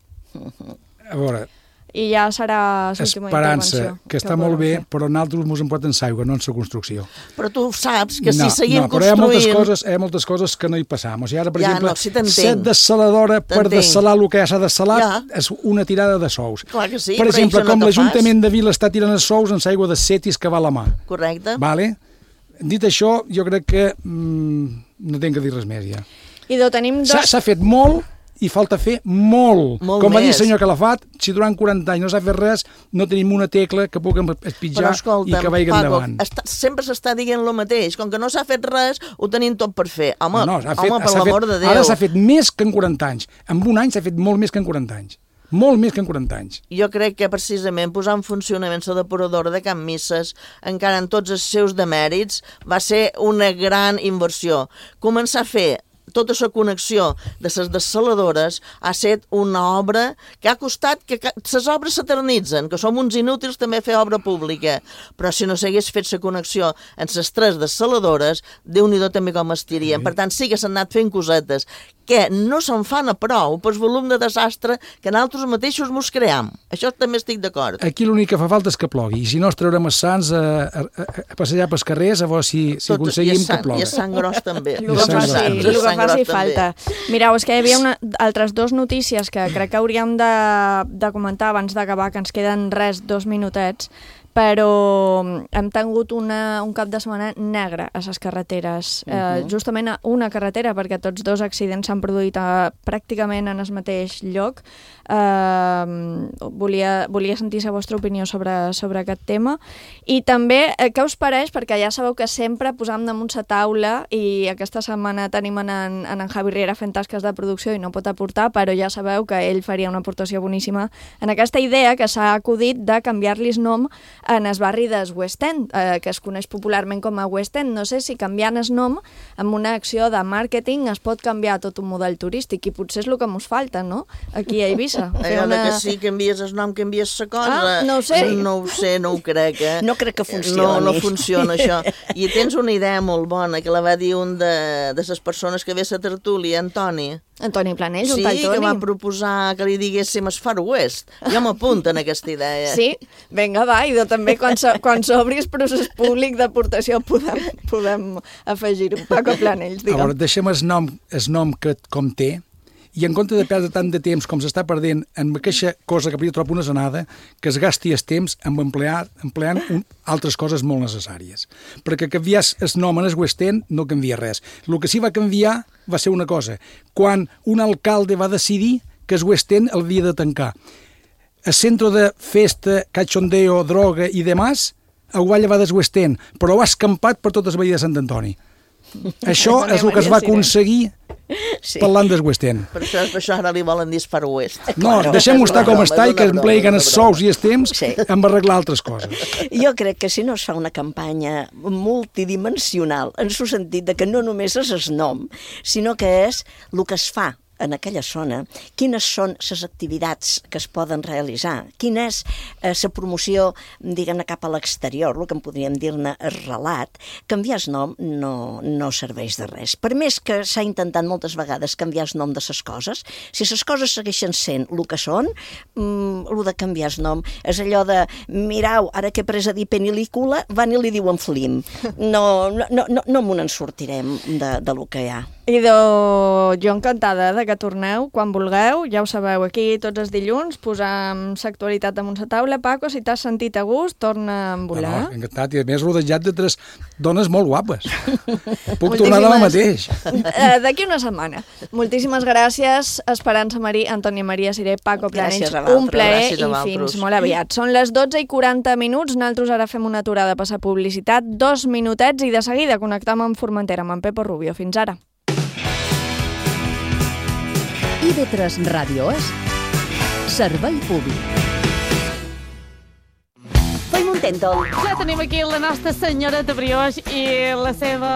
A veure, i ja serà l'última intervenció. Esperança, que està molt bé, però nosaltres ens en porten l'aigua, no en la construcció. Però tu saps que si no, seguim no, però construint... hi ha moltes coses, hi ha moltes coses que no hi passam. O sigui, ara, per ja, exemple, no, si set dessaladora per dessalar el que ja s'ha dessalat ja. és una tirada de sous. Clar que sí, per exemple, com no l'Ajuntament de Vila està tirant els sous en l'aigua de Setis que va a la mà. Correcte. Vale? Dit això, jo crec que mm, no tinc que dir res més ja. I do, tenim dos... S'ha fet molt i falta fer molt. molt Com va dir el més. senyor Calafat, si durant quaranta anys no s'ha fet res, no tenim una tecla que puguem espitjar escolta, i que vagi Paco, endavant. Està, sempre s'està dient el mateix. Com que no s'ha fet res, ho tenim tot per fer. Home, no, no, fet, home per l'amor de Déu. Ara s'ha fet més que en quaranta anys. En un any s'ha fet molt més que en quaranta anys. Molt més que en quaranta anys. Jo crec que precisament posar en funcionament la depuradora de Can Misses, encara en tots els seus demèrits, va ser una gran inversió. Començar a fer tota la connexió de les dessaladores ha estat una obra que ha costat que les obres s'eternitzen, que som uns inútils també fer obra pública, però si no s'hagués fet la connexió en les tres dessaladores, Déu-n'hi-do també com estirien. Per tant, sí que s'han anat fent cosetes que no se'n fan a prou pel volum de desastre que nosaltres mateixos mos cream. Això també estic d'acord. Aquí l'únic que fa falta és que plogui, i si no es traurem els sants a, a, a passejar pels carrers a veure si, si aconseguim que plogui. I el sant gros també. El que faci, el que faci falta. Mireu, és que hi havia una, altres dues notícies que crec que hauríem de, de comentar abans d'acabar, que ens queden res, dos minutets, però hem tingut una, un cap de setmana negre a les carreteres. Uh -huh. eh, justament a una carretera, perquè tots dos accidents s'han produït a, pràcticament en el mateix lloc. Eh, volia, volia sentir la vostra opinió sobre, sobre aquest tema. I també, eh, què us pareix? Perquè ja sabeu que sempre posam damunt la taula, i aquesta setmana tenim en, en, en Javi Riera fent tasques de producció i no pot aportar, però ja sabeu que ell faria una aportació boníssima en aquesta idea que s'ha acudit de canviar-li nom en el barri del West End, eh, que es coneix popularment com a West End. No sé si canviant el nom amb una acció de màrqueting es pot canviar tot un model turístic, i potser és el que ens falta, no?, aquí a Eivissa. Allò una... que sí, canvies el nom, canvies la cosa. Ah, no ho sé. No ho sé, no ho crec, eh? No crec que funcioni. No, no funciona això. I tens una idea molt bona, que la va dir un de, de les persones que ve a la tertúlia, Antoni. Antoni Planells, sí, un tal Toni. Sí, que va proposar que li diguéssim el Far West. Jo m'apunto en aquesta idea. Sí, vinga, va, i també quan, so, quan s'obri el procés públic d'aportació podem, podem afegir-ho. Paco Planells, digue'm. A veure, deixem el nom, el nom que com té, i en compte de perdre tant de temps com s'està perdent en aquesta cosa que hauria trobat una zanada, que es gasti el temps en emplear, empleant un, altres coses molt necessàries. Perquè canviar el nom en el West End no canvia res. El que sí va canviar va ser una cosa. Quan un alcalde va decidir que el West End l'havia de tancar. El centre de festa, cachondeo, droga i demás ho va llevar del West End, però ho ha escampat per totes les veïnes de Sant Antoni. Això és el que es va aconseguir sí. parlant del West End. Per això, per això ara li volen dir Far West. No, claro, deixem-ho estar com està i que empleguen els sous i els temps sí. en arreglar altres coses. Jo crec que si no es fa una campanya multidimensional, en el sentit de que no només és el nom, sinó que és el que es fa en aquella zona, quines són les activitats que es poden realitzar, quina és la eh, promoció, diguem-ne, cap a l'exterior, el que en podríem dir-ne el relat, canviar el nom no, no serveix de res. Per més que s'ha intentat moltes vegades canviar el nom de les coses, si les coses segueixen sent el que són, mm, el de canviar el nom és allò de, mirau, ara que he pres a dir penil·lícula, van i li diuen flim. No, no, no, no, no m'ho en sortirem de, de lo que hi ha. I de... jo encantada de que torneu quan vulgueu, ja ho sabeu, aquí tots els dilluns posam l'actualitat damunt la taula. Paco, si t'has sentit a gust, torna a volar. No, no, encantat, i a més rodejat de tres dones molt guapes. Puc tornar demà mateix. Uh, D'aquí una setmana. Moltíssimes gràcies, Esperança Marí, Antònia Maria Siré, Paco Planells. Un plaer i fins molt aviat. Són les dotze i quaranta minuts, nosaltres ara fem una aturada a passar publicitat, dos minutets i de seguida connectam amb Formentera, amb en Pepo Rubio. Fins ara. I V tres Ràdio és servei públic. Fem un tèntol. Ja tenim aquí la nostra senyoreta Brioix i la seva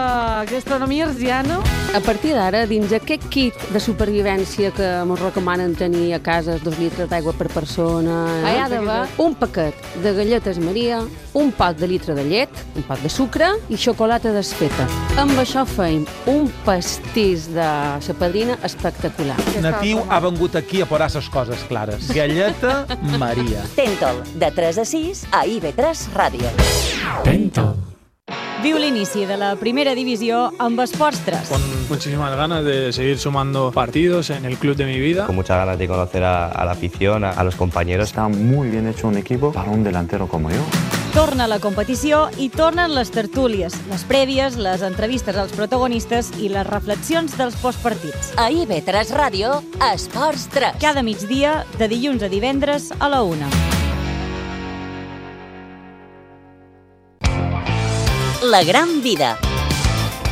gastronomia arsiana. A partir d'ara, dins aquest kit de supervivència que ens recomanen tenir a casa, dos litres d'aigua per persona, eh? hi ha d'haver un paquet de galletes Maria, un pot de litre de llet, un pot de sucre i xocolata desfeta. Amb això feim un pastís de sa padrina espectacular. Natiu ha vengut aquí a posar ses coses clares. Galleta Maria. Tèntol, de tres a sis a I V tres Ràdio. Tèntol. Viu l'inici de la primera divisió amb Esports tres. Con muchísimas ganas de seguir sumando partidos en el club de mi vida. Con muchas ganas de conocer a, a la afición, a, a los compañeros. Está muy bien hecho un equipo para un delantero como yo. Torna la competició i tornen les tertúlies, les prèvies, les entrevistes als protagonistes i les reflexions dels postpartits. A I V tres Ràdio, Esports tres. Cada migdia, de dilluns a divendres a la una. La gran vida.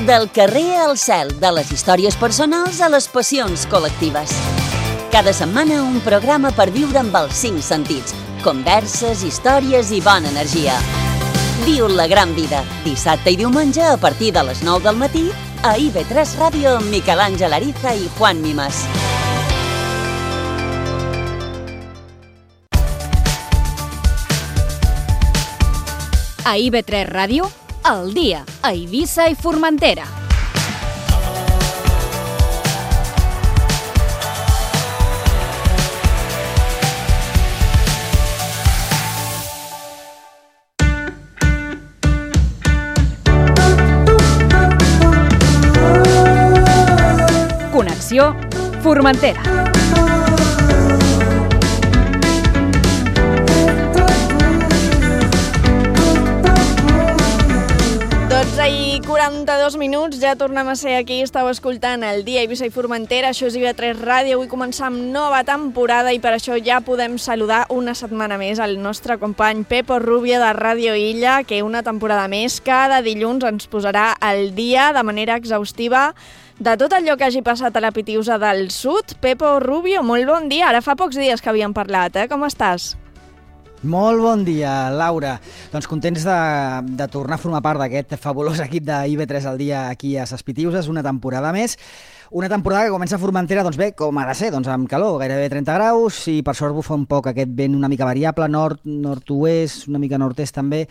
Del carrer al cel, de les històries personals a les passions col·lectives. Cada setmana un programa per viure amb els cinc sentits. Converses, històries i bona energia. Viu la gran vida, dissabte i diumenge a partir de les nou del matí a I V tres Ràdio amb Miquel Àngel Ariza i Juan Mimas. A I V tres Ràdio, al dia, a Eivissa i Formentera. Connexió Formentera. dotze i quaranta-dos minuts, ja tornem a ser aquí, estàu escoltant el dia Eivissa i Formentera, això és I V tres Ràdio, avui començar amb nova temporada i per això ja podem saludar una setmana més al nostre company Pepo Rubio de Ràdio Illa, que una temporada més, cada dilluns ens posarà al dia de manera exhaustiva de tot allò que hagi passat a la Pitiusa del Sud. Pepo Rubio, molt bon dia, ara fa pocs dies que havíem parlat, eh? Com estàs? Molt bon dia, Laura. Doncs contents de, de tornar a formar part d'aquest fabulós equip de I V tres al dia aquí a Ses Pitiuses, una temporada més. Una temporada que comença a Formentera, doncs bé, com ha de ser, doncs amb calor, gairebé trenta graus, i per sort bufa un poc aquest vent una mica variable, nord, nord-oest, una mica nord-est també.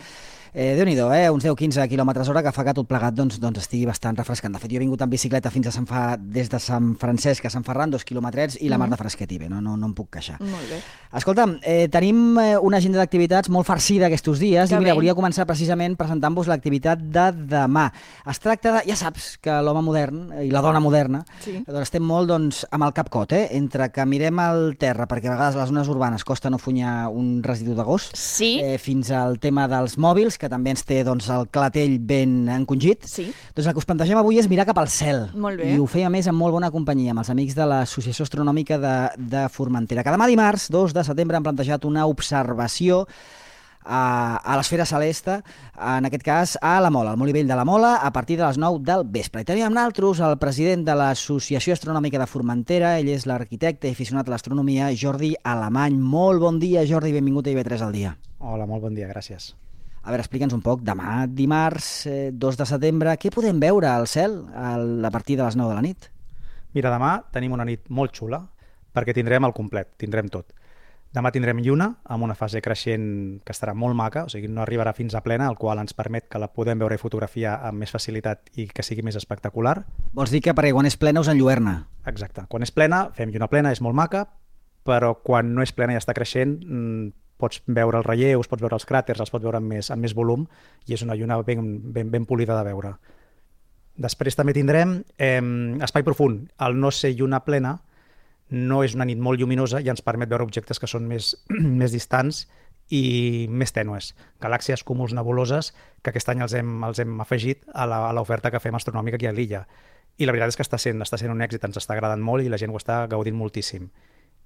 Eh, Déu-n'hi-do, eh? uns deu quinze quilòmetres hora que fa que tot plegat doncs, doncs estigui bastant refrescant. De fet, jo he vingut en bicicleta fins a Sant Fa... des de Sant Francesc a Sant Ferran, dos quilòmetrets, i la mar de fresquet i bé, no, no, no em puc queixar. Molt bé. Escolta'm, eh, tenim una agenda d'activitats molt farcida aquests dies que i mira, bé. volia començar precisament presentant-vos l'activitat de demà. Es tracta de... Ja saps que l'home modern i la dona moderna sí. doncs estem molt doncs, amb el cap cot, eh? Entre que mirem al terra, perquè a vegades a les zones urbanes costa no funyar un residu de gos, sí. eh, fins al tema dels mòbils, que també ens té doncs, el clatell ben encongit. Sí. Doncs el que us plantegem avui és mirar cap al cel. Molt bé. I ho feia més amb molt bona companyia, amb els amics de l'Associació Astronòmica de, de Formentera, que demà dimarts, dos de setembre, han plantejat una observació a, a l'esfera celeste, en aquest cas a la Mola, al Molí Vell de la Mola, a partir de les nou del vespre. I tenim amb nosaltres el president de l'Associació Astronòmica de Formentera, ell és l'arquitecte i aficionat a l'astronomia, Jordi Alemany. Molt bon dia, Jordi, benvingut a I V tres al dia. Hola, molt bon dia, gràcies. A veure, explica'ns un poc, demà dimarts, eh, dos de setembre, què podem veure al cel a partir de les nou de la nit? Mira, demà tenim una nit molt xula, perquè tindrem el complet, tindrem tot. Demà tindrem lluna, amb una fase creixent que estarà molt maca, o sigui, no arribarà fins a plena, el qual ens permet que la podem veure i fotografiar amb més facilitat i que sigui més espectacular. Vols dir que perquè quan és plena us enlluerna? Exacte. Quan és plena, fem lluna plena, és molt maca, però quan no és plena i està creixent, pots veure els relleus, pots veure els cràters, els pots veure amb més, amb més volum, i és una lluna ben, ben, ben polida de veure. Després també tindrem eh, espai profund. Al no ser lluna plena, no és una nit molt lluminosa i ens permet veure objectes que són més, més distants i més tènues. Galàxies, cúmuls, nebuloses, que aquest any els hem, els hem afegit a l'oferta que fem astronòmica aquí a l'illa. I la veritat és que està sent, està sent un èxit, ens està agradant molt i la gent ho està gaudint moltíssim.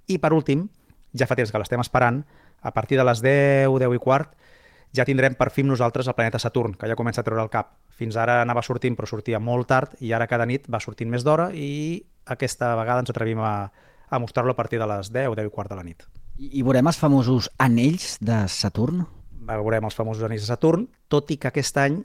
I per últim, ja fa temps que l'estem esperant, a partir de les deu, deu i quart, ja tindrem per fi nosaltres el planeta Saturn, que ja comença a treure el cap. Fins ara anava sortint, però sortia molt tard, i ara cada nit va sortint més d'hora, i aquesta vegada ens atrevim a, a mostrar-lo a partir de les deu, deu i quart de la nit. I, i veurem els famosos anells de Saturn? Veurem els famosos anells de Saturn, tot i que aquest any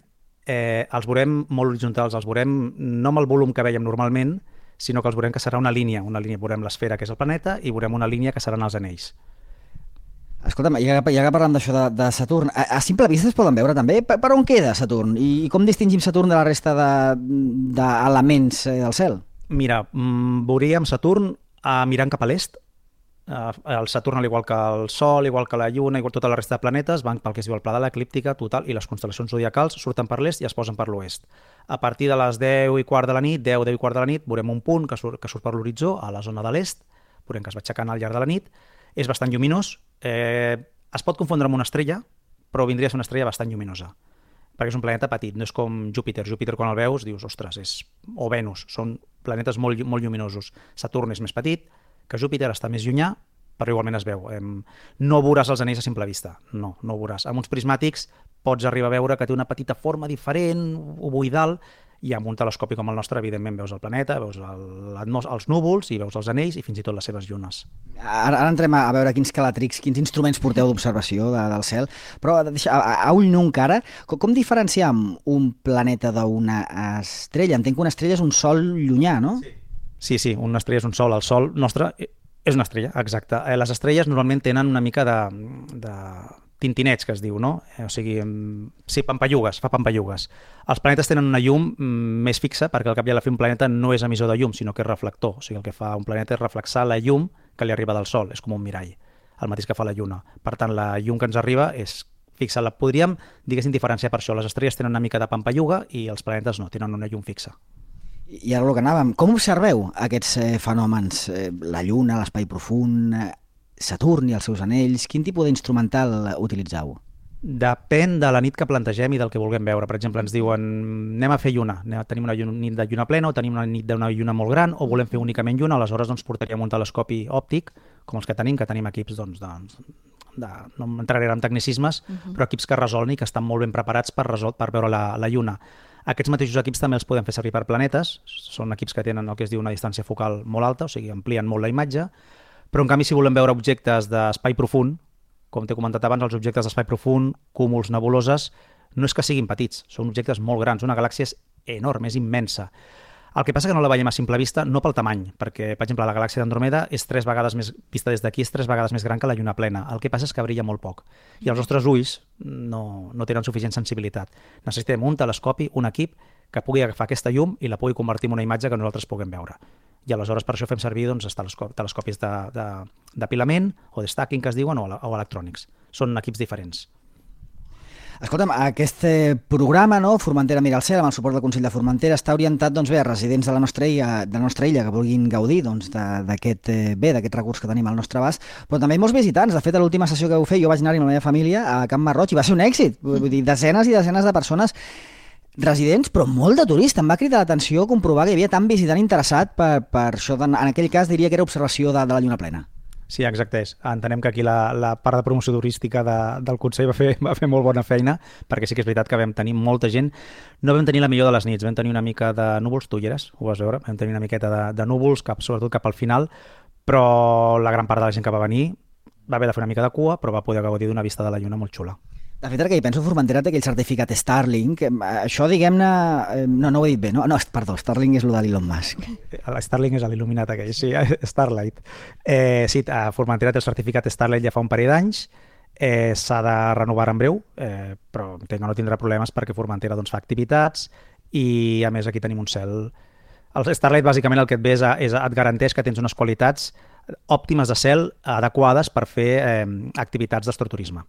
eh, els veurem molt horitzontals, els veurem no amb el volum que veiem normalment, sinó que els veurem que serà una línia, una línia, veurem l'esfera, que és el planeta, i veurem una línia que seran els anells. Escolta'm, ja que, ja que parlem d'això de, de Saturn, a, a simple vista es poden veure també? Per, per on queda Saturn? I, I com distingim Saturn de la resta d'elements de, de del cel? Mira, mm, veuríem Saturn eh, mirant cap a l'est. Eh, el Saturn, al igual que el Sol, igual que la Lluna, igual tota la resta de planetes, van pel que es diu el pla de l'eclíptica total, i les constel·lacions zodiacals surten per l'est i es posen per l'oest. A partir de les deu i quart de la nit, deu, deu i quart de la nit, veurem un punt que surt, que surt per l'horitzó, a la zona de l'est, veurem que es va aixecant al llarg de la nit, és bastant lluminós, eh, es pot confondre amb una estrella, però vindria a ser una estrella bastant lluminosa, perquè és un planeta petit, no és com Júpiter. Júpiter, quan el veus, dius, ostres, és... o Venus, són planetes molt, molt lluminosos. Saturn és més petit, que Júpiter està més llunyà, però igualment es veu. Eh, no veuràs els anells a simple vista, no, no ho veuràs. Amb uns prismàtics pots arribar a veure que té una petita forma diferent, ovoidal, i amb un telescopi com el nostre, evidentment, veus el planeta, veus el, els núvols, i veus els anells, i fins i tot les seves llunes. Ara, ara entrem a veure quins calatrics, quins instruments porteu d'observació de, del cel, però a, a, a ull nu encara, com, com diferenciem un planeta d'una estrella? Entenc que una estrella és un sol llunyà, no? Sí, sí, sí, una estrella és un sol. El sol nostre és una estrella, exacte. Les estrelles normalment tenen una mica de... de tintinets, que es diu, no? O sigui, sí, pampallugues, fa pampallugues. Els planetes tenen una llum més fixa, perquè al cap i a la fi un planeta no és emissor de llum, sinó que és reflector. O sigui, el que fa un planeta és reflexar la llum que li arriba del Sol, és com un mirall, el mateix que fa la Lluna. Per tant, la llum que ens arriba és fixa. La podríem, diguéssim, diferenciar per això. Les estrelles tenen una mica de pampalluga i els planetes no, tenen una llum fixa. I ara el que anàvem, com observeu aquests eh, fenòmens? Eh, la Lluna, l'espai profund... Eh... Saturn i els seus anells, quin tipus d'instrumental utilitzeu? Depèn de la nit que plantegem i del que vulguem veure. Per exemple, ens diuen, anem a fer lluna, tenim una nit de lluna plena o tenim una nit d'una lluna molt gran o volem fer únicament lluna, aleshores doncs, portaríem un telescopi òptic, com els que tenim, que tenim equips, doncs, de, de, no entraré en tecnicismes, uh-huh. però equips que resolguen i que estan molt ben preparats per, resol, per veure la, la lluna. Aquests mateixos equips també els podem fer servir per planetes, són equips que tenen el que es diu una distància focal molt alta, o sigui, amplien molt la imatge, però en canvi si volem veure objectes d'espai profund, com t'he comentat abans, els objectes d'espai profund, cúmuls, nebuloses, no és que siguin petits, són objectes molt grans, una galàxia és enorme, és immensa. El que passa que no la veiem a simple vista, no pel tamany, perquè, per exemple, la galàxia d'Andromeda és tres vegades més, vista des d'aquí, és tres vegades més gran que la lluna plena. El que passa és que brilla molt poc. I els nostres ulls no, no tenen suficient sensibilitat. Necessitem un telescopi, un equip, que pugui agafar aquesta llum i la pugui convertir en una imatge que nosaltres puguem veure. I aleshores per això fem servir doncs, telescopis d'apilament o de stacking, que es diuen, o, o electrònics. Són equips diferents. Escolta'm, aquest programa, no, Formentera mira al cel, amb el suport del Consell de Formentera, està orientat doncs, bé, a residents de la nostra illa, de la nostra illa que vulguin gaudir doncs, d'aquest bé, d'aquest recurs que tenim al nostre abast, però també molts visitants. De fet, a l'última sessió que vau fer, jo vaig anar-hi amb la meva família a Can Marroig i va ser un èxit. Vull dir, desenes i desenes de persones residents, però molt de turistes. Em va cridar l'atenció comprovar que hi havia tant visitant interessat per, per això. En aquell cas diria que era observació de, de la lluna plena. Sí, exacte és. Entenem que aquí la, la part de promoció turística de, del Consell va fer, va fer molt bona feina, perquè sí que és veritat que vam tenir molta gent. No vam tenir la millor de les nits, vam tenir una mica de núvols, tu hi eres, ho vas veure, vam tenir una miqueta de, de núvols, cap, sobretot cap al final, però la gran part de la gent que va venir va haver de fer una mica de cua, però va poder gaudir d'una vista de la lluna molt xula. De fet, que hi penso, Formentera té aquell certificat Starlink. Això, diguem-ne... No, no ho he dit bé, no? No, perdó, Starlink és el de l'Elon Musk. Starlink és l'il·luminat aquell, sí, Starlight. Eh, sí, Formentera té el certificat Starlight ja fa un parell d'anys, eh, s'ha de renovar en breu, eh, però entenc que no tindrà problemes perquè Formentera doncs, fa activitats i, a més, aquí tenim un cel... El Starlight, bàsicament, el que et ve és, és et garanteix que tens unes qualitats òptimes de cel adequades per fer eh, activitats d'astroturisme.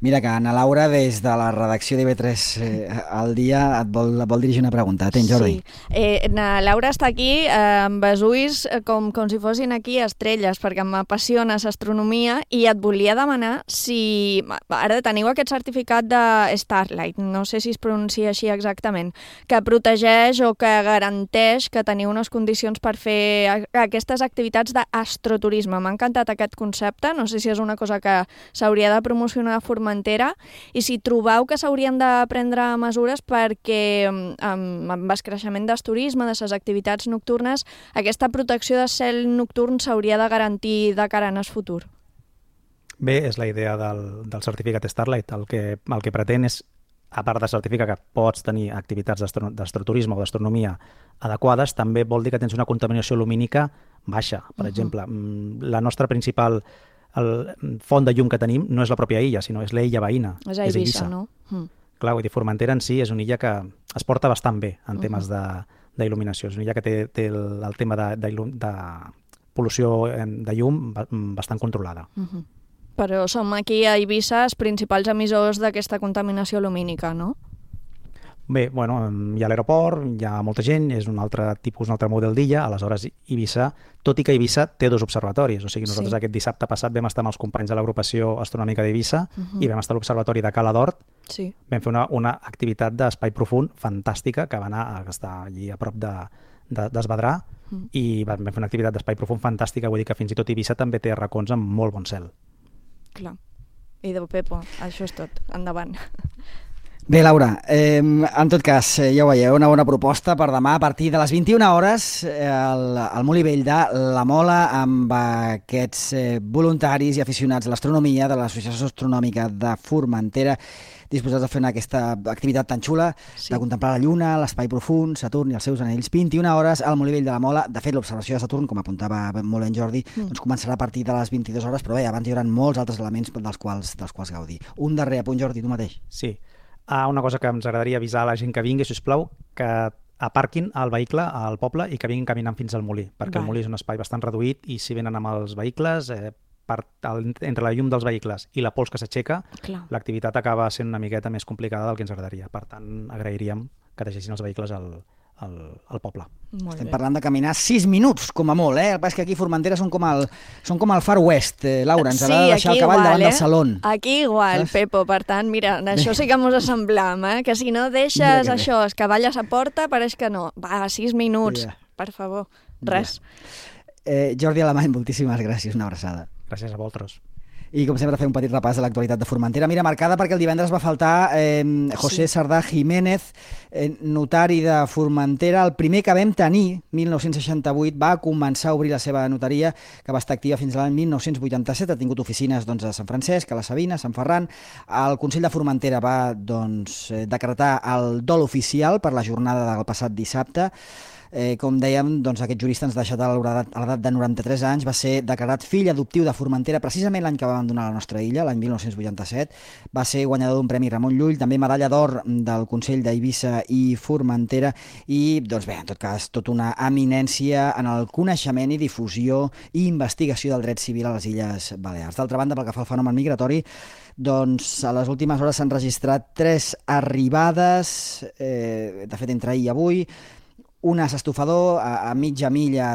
Mira que Ana Laura, des de la redacció d'I V tres eh, al dia, et vol, vol dirigir una pregunta. Tens, Jordi? Sí. Eh, Ana Laura està aquí eh, amb els ulls com, com si fossin aquí estrelles, perquè m'apassiona l'astronomia i et volia demanar si... Ara teniu aquest certificat de Starlight, no sé si es pronuncia així exactament, que protegeix o que garanteix que teniu unes condicions per fer aquestes activitats d'astroturisme. M'ha encantat aquest concepte, no sé si és una cosa que s'hauria de promocionar a Formentera, i si trobeu que s'haurien de prendre mesures perquè amb, amb el creixement del turisme, de les activitats nocturnes, aquesta protecció del cel nocturn s'hauria de garantir de cara en el futur. Bé, és la idea del, del certificat Starlight. El que, el que pretén és, a part de certificar que pots tenir activitats d'astroturisme o d'astronomia adequades, també vol dir que tens una contaminació lumínica baixa. Per uh-huh. exemple, la nostra principal el font de llum que tenim no és la pròpia illa, sinó és l'illa veïna. És a Eivissa, no? Mm. Clar, vull dir, Formentera en si és una illa que es porta bastant bé en temes uh-huh. d'il·luminació. És una illa que té, té el, el tema de, de, de pol·lució de llum bastant controlada. Uh-huh. Però som aquí a Eivissa els principals emissors d'aquesta contaminació lumínica, no? Bé, bueno, hi ha l'aeroport, hi ha molta gent, és un altre tipus, un altre model d'illa, aleshores Eivissa, tot i que Eivissa té dos observatoris, o sigui, nosaltres sí. aquest dissabte passat vam estar amb els companys de l'agrupació astronòmica d'Eivissa uh-huh. i vam estar a l'observatori de Cala d'Hort, sí. vam fer una, una activitat d'espai profund fantàstica, que va anar a estar allí a prop de, de, d'Esvedrà, uh-huh. i vam fer una activitat d'espai profund fantàstica, vull dir que fins i tot Eivissa també té racons amb molt bon cel. Clar. I de Pepo, això és tot. Endavant. Bé, Laura, eh, en tot cas, eh, ja ho veieu, una bona proposta per demà a partir de les vint-i-una hores eh, al, al Molí Vell de La Mola amb aquests eh, voluntaris i aficionats a l'astronomia de l'Associació Astronòmica de Formentera disposats a fer aquesta activitat tan xula sí. de contemplar la Lluna, l'espai profund, Saturn i els seus anells. vint-i-una hores al Molí Vell de La Mola. De fet, l'observació de Saturn, com apuntava molt en Jordi, mm. doncs començarà a partir de les vint-i-dues hores, però bé, abans hi haurà molts altres elements dels quals, dels quals gaudir. Un darrer apunt, Jordi, tu mateix. Sí. Ah, una cosa que ens agradaria avisar a la gent que vingui, sisplau, que aparquin el vehicle al poble i que vinguin caminant fins al molí, perquè Val. el molí és un espai bastant reduït i si venen amb els vehicles, eh, per, el, entre la llum dels vehicles i la pols que s'aixeca, l'activitat acaba sent una miqueta més complicada del que ens agradaria. Per tant, agrairíem que deixessin els vehicles al, al, al poble. Molt Estem bé. parlant de caminar sis minuts, com a molt, eh? El que passa és que aquí a Formentera són com el, són com el Far West, eh, Laura, ens sí, ha de deixar el cavall igual, davant eh? del saló. Aquí igual, Saps? Pepo, per tant, mira, això sí que mos assemblam, eh? Que si no deixes això, el cavall a sa porta, pareix que no. Va, sis minuts, yeah. per favor, res. Yeah. Eh, Jordi Alemany, moltíssimes gràcies, una abraçada. Gràcies a vosaltres. I, com sempre, fer un petit repàs de l'actualitat de Formentera. Mira, marcada perquè el divendres va faltar eh, José sí. Sardà Jiménez, eh, notari de Formentera, el primer que vam tenir, mil nou-cents seixanta-vuit, va començar a obrir la seva notaria, que va estar activa fins a l'any mil nou-cents vuitanta-set, ha tingut oficines doncs, a Sant Francesc, a la Sabina, a Sant Ferran. El Consell de Formentera va doncs, decretar el dol oficial per la jornada del passat dissabte. Eh, com dèiem, doncs, aquest jurista ens ha deixat a l'edat de noranta-tres anys, va ser declarat fill adoptiu de Formentera precisament l'any que va abandonar la nostra illa, l'any mil nou-cents vuitanta-set. Va ser guanyador d'un Premi Ramon Llull, també medalla d'or del Consell d'Eivissa i Formentera i, doncs bé, en tot cas, tota una eminència en el coneixement i difusió i investigació del dret civil a les Illes Balears. D'altra banda, pel que fa al fenomen migratori, doncs a les últimes hores s'han registrat tres arribades, eh, de fet entre ahir i avui, un as estofador a, a mitja milla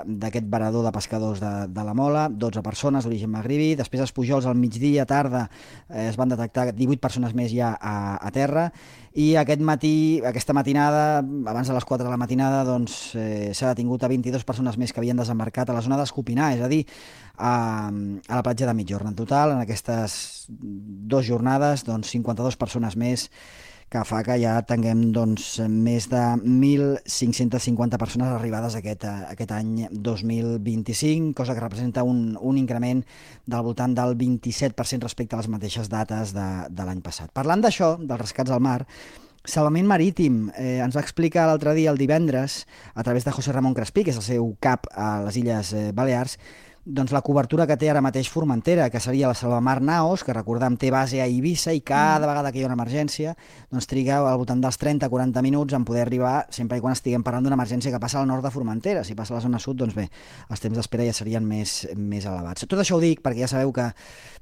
d'aquest varador de pescadors de, de la Mola, dotze persones d'origen magribi. Després els Pujols al migdia, tarda, eh, es van detectar divuit persones més ja a, a terra, i aquest matí, aquesta matinada, abans de les quatre de la matinada, doncs, eh, s'ha detingut a vint-i-dues persones més que havien desembarcat a la zona d'Escopinar, és a dir, a, a la platja de Migjorn. En total, en aquestes dues jornades, doncs, cinquanta-dues persones més, que fa que ja tinguem doncs, més de mil cinc-cents cinquanta persones arribades aquest, aquest any dos mil vint-i-cinc, cosa que representa un, un increment del voltant del vint-i-set per cent respecte a les mateixes dates de, de l'any passat. Parlant d'això, dels rescats al mar, Salvament Marítim eh, ens va explicar l'altre dia, el divendres, a través de José Ramón Crespí, que és el seu cap a les Illes eh, Balears, doncs la cobertura que té ara mateix Formentera, que seria la Salvamar Naos, que recordem té base a Eivissa i cada vegada que hi ha una emergència doncs triga al voltant dels trenta a quaranta minuts en poder arribar, sempre i quan estiguem parlant d'una emergència que passa al nord de Formentera. Si passa a la zona sud, doncs bé, els temps d'espera ja serien més, més elevats. Tot això ho dic perquè ja sabeu que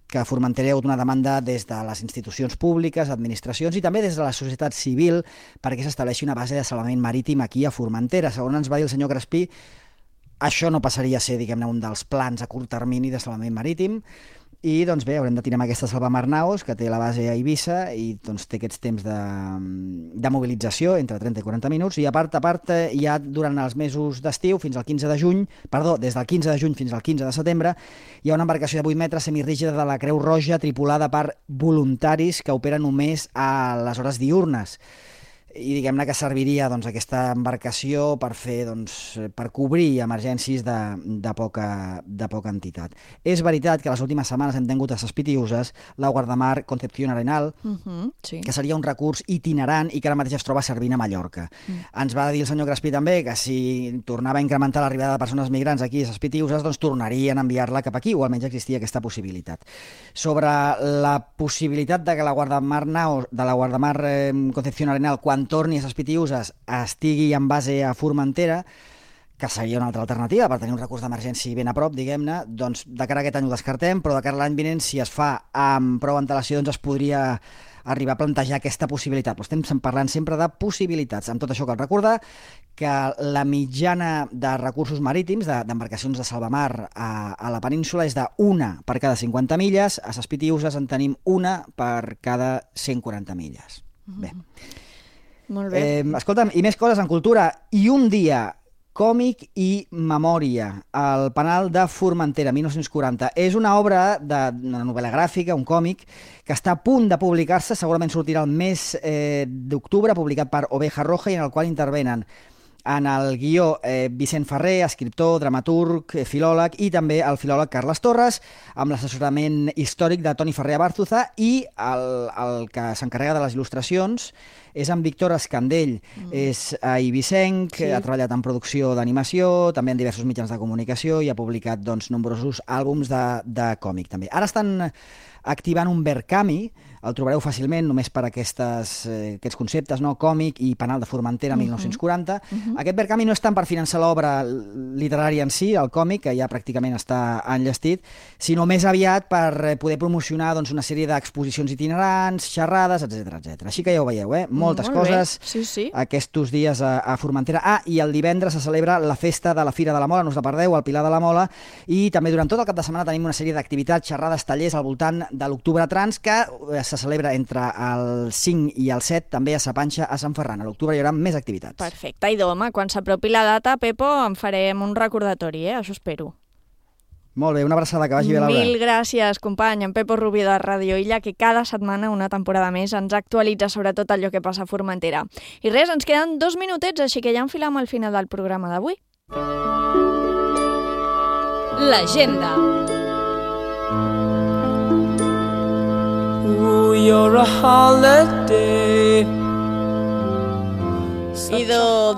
que a Formentera hi ha hagut una demanda des de les institucions públiques, administracions i també des de la societat civil perquè s'estableixi una base de salvament marítim aquí a Formentera. Segons ens va dir el senyor Crespí, això no passaria a ser, diguem-ne, un dels plans a curt termini de salvament marítim i, doncs bé, haurem de tirar amb aquesta Salvamar Naos, que té la base a Eivissa i doncs, té aquests temps de, de mobilització entre trenta i quaranta minuts i a part a part ja durant els mesos d'estiu fins al quinze de juny, perdó, des del quinze de juny fins al quinze de setembre hi ha una embarcació de vuit metres semirrígida de la Creu Roja tripulada per voluntaris que operen només a les hores diürnes. I diguem-ne que serviria doncs, aquesta embarcació per fer, doncs, per cobrir emergències de, de, poca, de poca entitat. És veritat que les últimes setmanes hem tingut a Ses Pitiüses la guardamar Concepción Arenal, uh-huh, sí. que seria un recurs itinerant i que ara mateix es troba servint a Mallorca. Uh-huh. Ens va dir el senyor Crespí també que si tornava a incrementar l'arribada de persones migrants aquí a Ses Pitiüses, doncs tornarien a enviar-la cap aquí, o almenys existia aquesta possibilitat. Sobre la possibilitat de que la guardamar Naos, de la guardamar eh, Concepción Arenal, quan torni a Ses Pitiüses estigui en base a Formentera, que seria una altra alternativa per tenir un recurs d'emergència ben a prop, diguem-ne, doncs de cara a aquest any ho descartem, però de cara a l'any vinent, si es fa amb prou antelació, doncs es podria arribar a plantejar aquesta possibilitat. Però estem parlant sempre de possibilitats. Amb tot això cal recordar que la mitjana de recursos marítims, d'embarcacions de, de salvamar a, a la península, és d'una per cada cinquanta milles, a Ses Pitiüses en tenim una per cada cent quaranta milles. Mm. Bé. Molt bé. Eh, escolta'm, i més coses en cultura. I un dia, còmic i memòria, el Penal de Formentera, mil nou-cents quaranta. És una obra d'una novel·la gràfica, un còmic, que està a punt de publicar-se, segurament sortirà el mes eh, d'octubre, publicat per Oveja Roja, i en el qual intervenen en el guió eh, Vicent Ferrer, escriptor, dramaturg, eh, filòleg, i també el filòleg Carles Torres, amb l'assessorament històric de Toni Ferrer Abárzuza, i el, el que s'encarrega de les il·lustracions és en Víctor Escandell. Mm. És eivissenc, sí. Ha treballat en producció d'animació, també en diversos mitjans de comunicació i ha publicat doncs, nombrosos àlbums de, de còmic també. Ara estan activant un Verkami, el trobareu fàcilment només per aquestes, eh, aquests conceptes, no? Còmic i Penal de Formentera, uh-huh. mil nou-cents quaranta. Uh-huh. Aquest Verkami no és tant per finançar l'obra literària en si, el còmic, que ja pràcticament està enllestit, sinó més aviat per poder promocionar doncs, una sèrie d'exposicions itinerants, xerrades, etcètera etcètera. Així que ja ho veieu, eh? Moltes Molt coses sí, sí. aquests dies a, a Formentera. Ah, i el divendres se celebra la festa de la Fira de la Mola, no us la perdeu, al Pilar de la Mola, i també durant tot el cap de setmana tenim una sèrie d'activitats, xerrades, tallers al voltant de l'Octubre Trans, que se celebra entre el cinc i el set, també a Sa Panxa, a Sant Ferran. A l'octubre hi haurà més activitats. Perfecte. I home, quan s'apropi la data, Pepo, en farem un recordatori, eh? Això espero. Molt bé, una abraçada, que vagi bé, Laura. Mil gràcies, company, en Pepo Rubio de Radio Illa, que cada setmana, una temporada més, ens actualitza sobre tot allò que passa a Formentera. I res, ens queden dos minutets, així que ja enfilam al final del programa d'avui. L'agenda. Ooh, you're a holiday. I de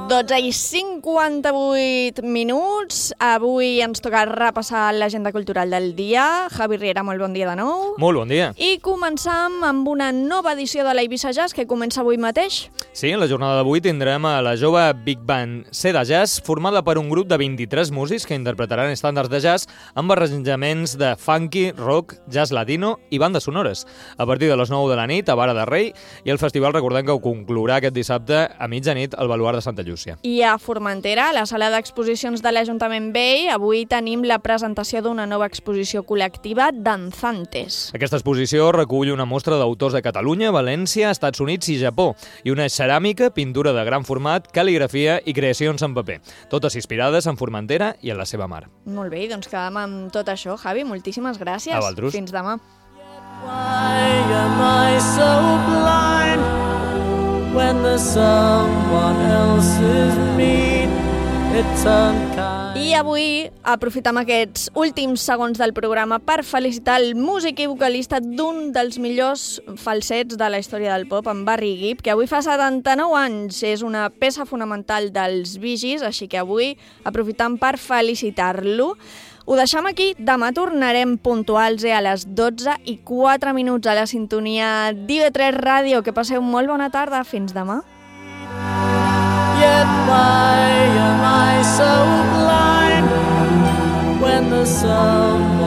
dotze i cinquanta-vuit minuts, avui ens toca repassar l'agenda cultural del dia. Javi Riera, molt bon dia de nou. Molt bon dia. I començam amb una nova edició de l'Eivissa Jazz que comença avui mateix. Sí, en la jornada d'avui tindrem a la jove Big Band Seda Jazz, formada per un grup de vint-i-tres músics que interpretaran estàndards de jazz amb arranjaments de funky, rock, jazz latino i bandes sonores. A partir de les nou de la nit a Vara de Rei, i el festival recordem que ho conclourà aquest dissabte a mitjanit al Baluard de Santa Llúcia. I a Formentera, a la sala d'exposicions de l'Ajuntament Vell, avui tenim la presentació d'una nova exposició col·lectiva, Danzantes. Aquesta exposició recull una mostra d'autors de Catalunya, València, Estats Units i Japó, i una ceràmica, pintura de gran format, cal·ligrafia i creacions en paper, totes inspirades en Formentera i en la seva mar. Molt bé, doncs quedam amb tot això. Javi, moltíssimes gràcies. A vosaltres. Fins demà. Why am I so blind when there's someone else is me? It's unkind. I avui aprofitem aquests últims segons del programa per felicitar el músic i vocalista d'un dels millors falsets de la història del pop, en Barry Gibb, que avui fa setanta-nou anys. És una peça fonamental dels Bee Gees, així que avui aprofitem per felicitar-lo. Ho deixem aquí, demà tornarem puntuals eh, a les dotze i quatre minuts a la sintonia d'I V tres Ràdio. Que passeu molt bona tarda, fins demà. Yet why am I so blind when the sun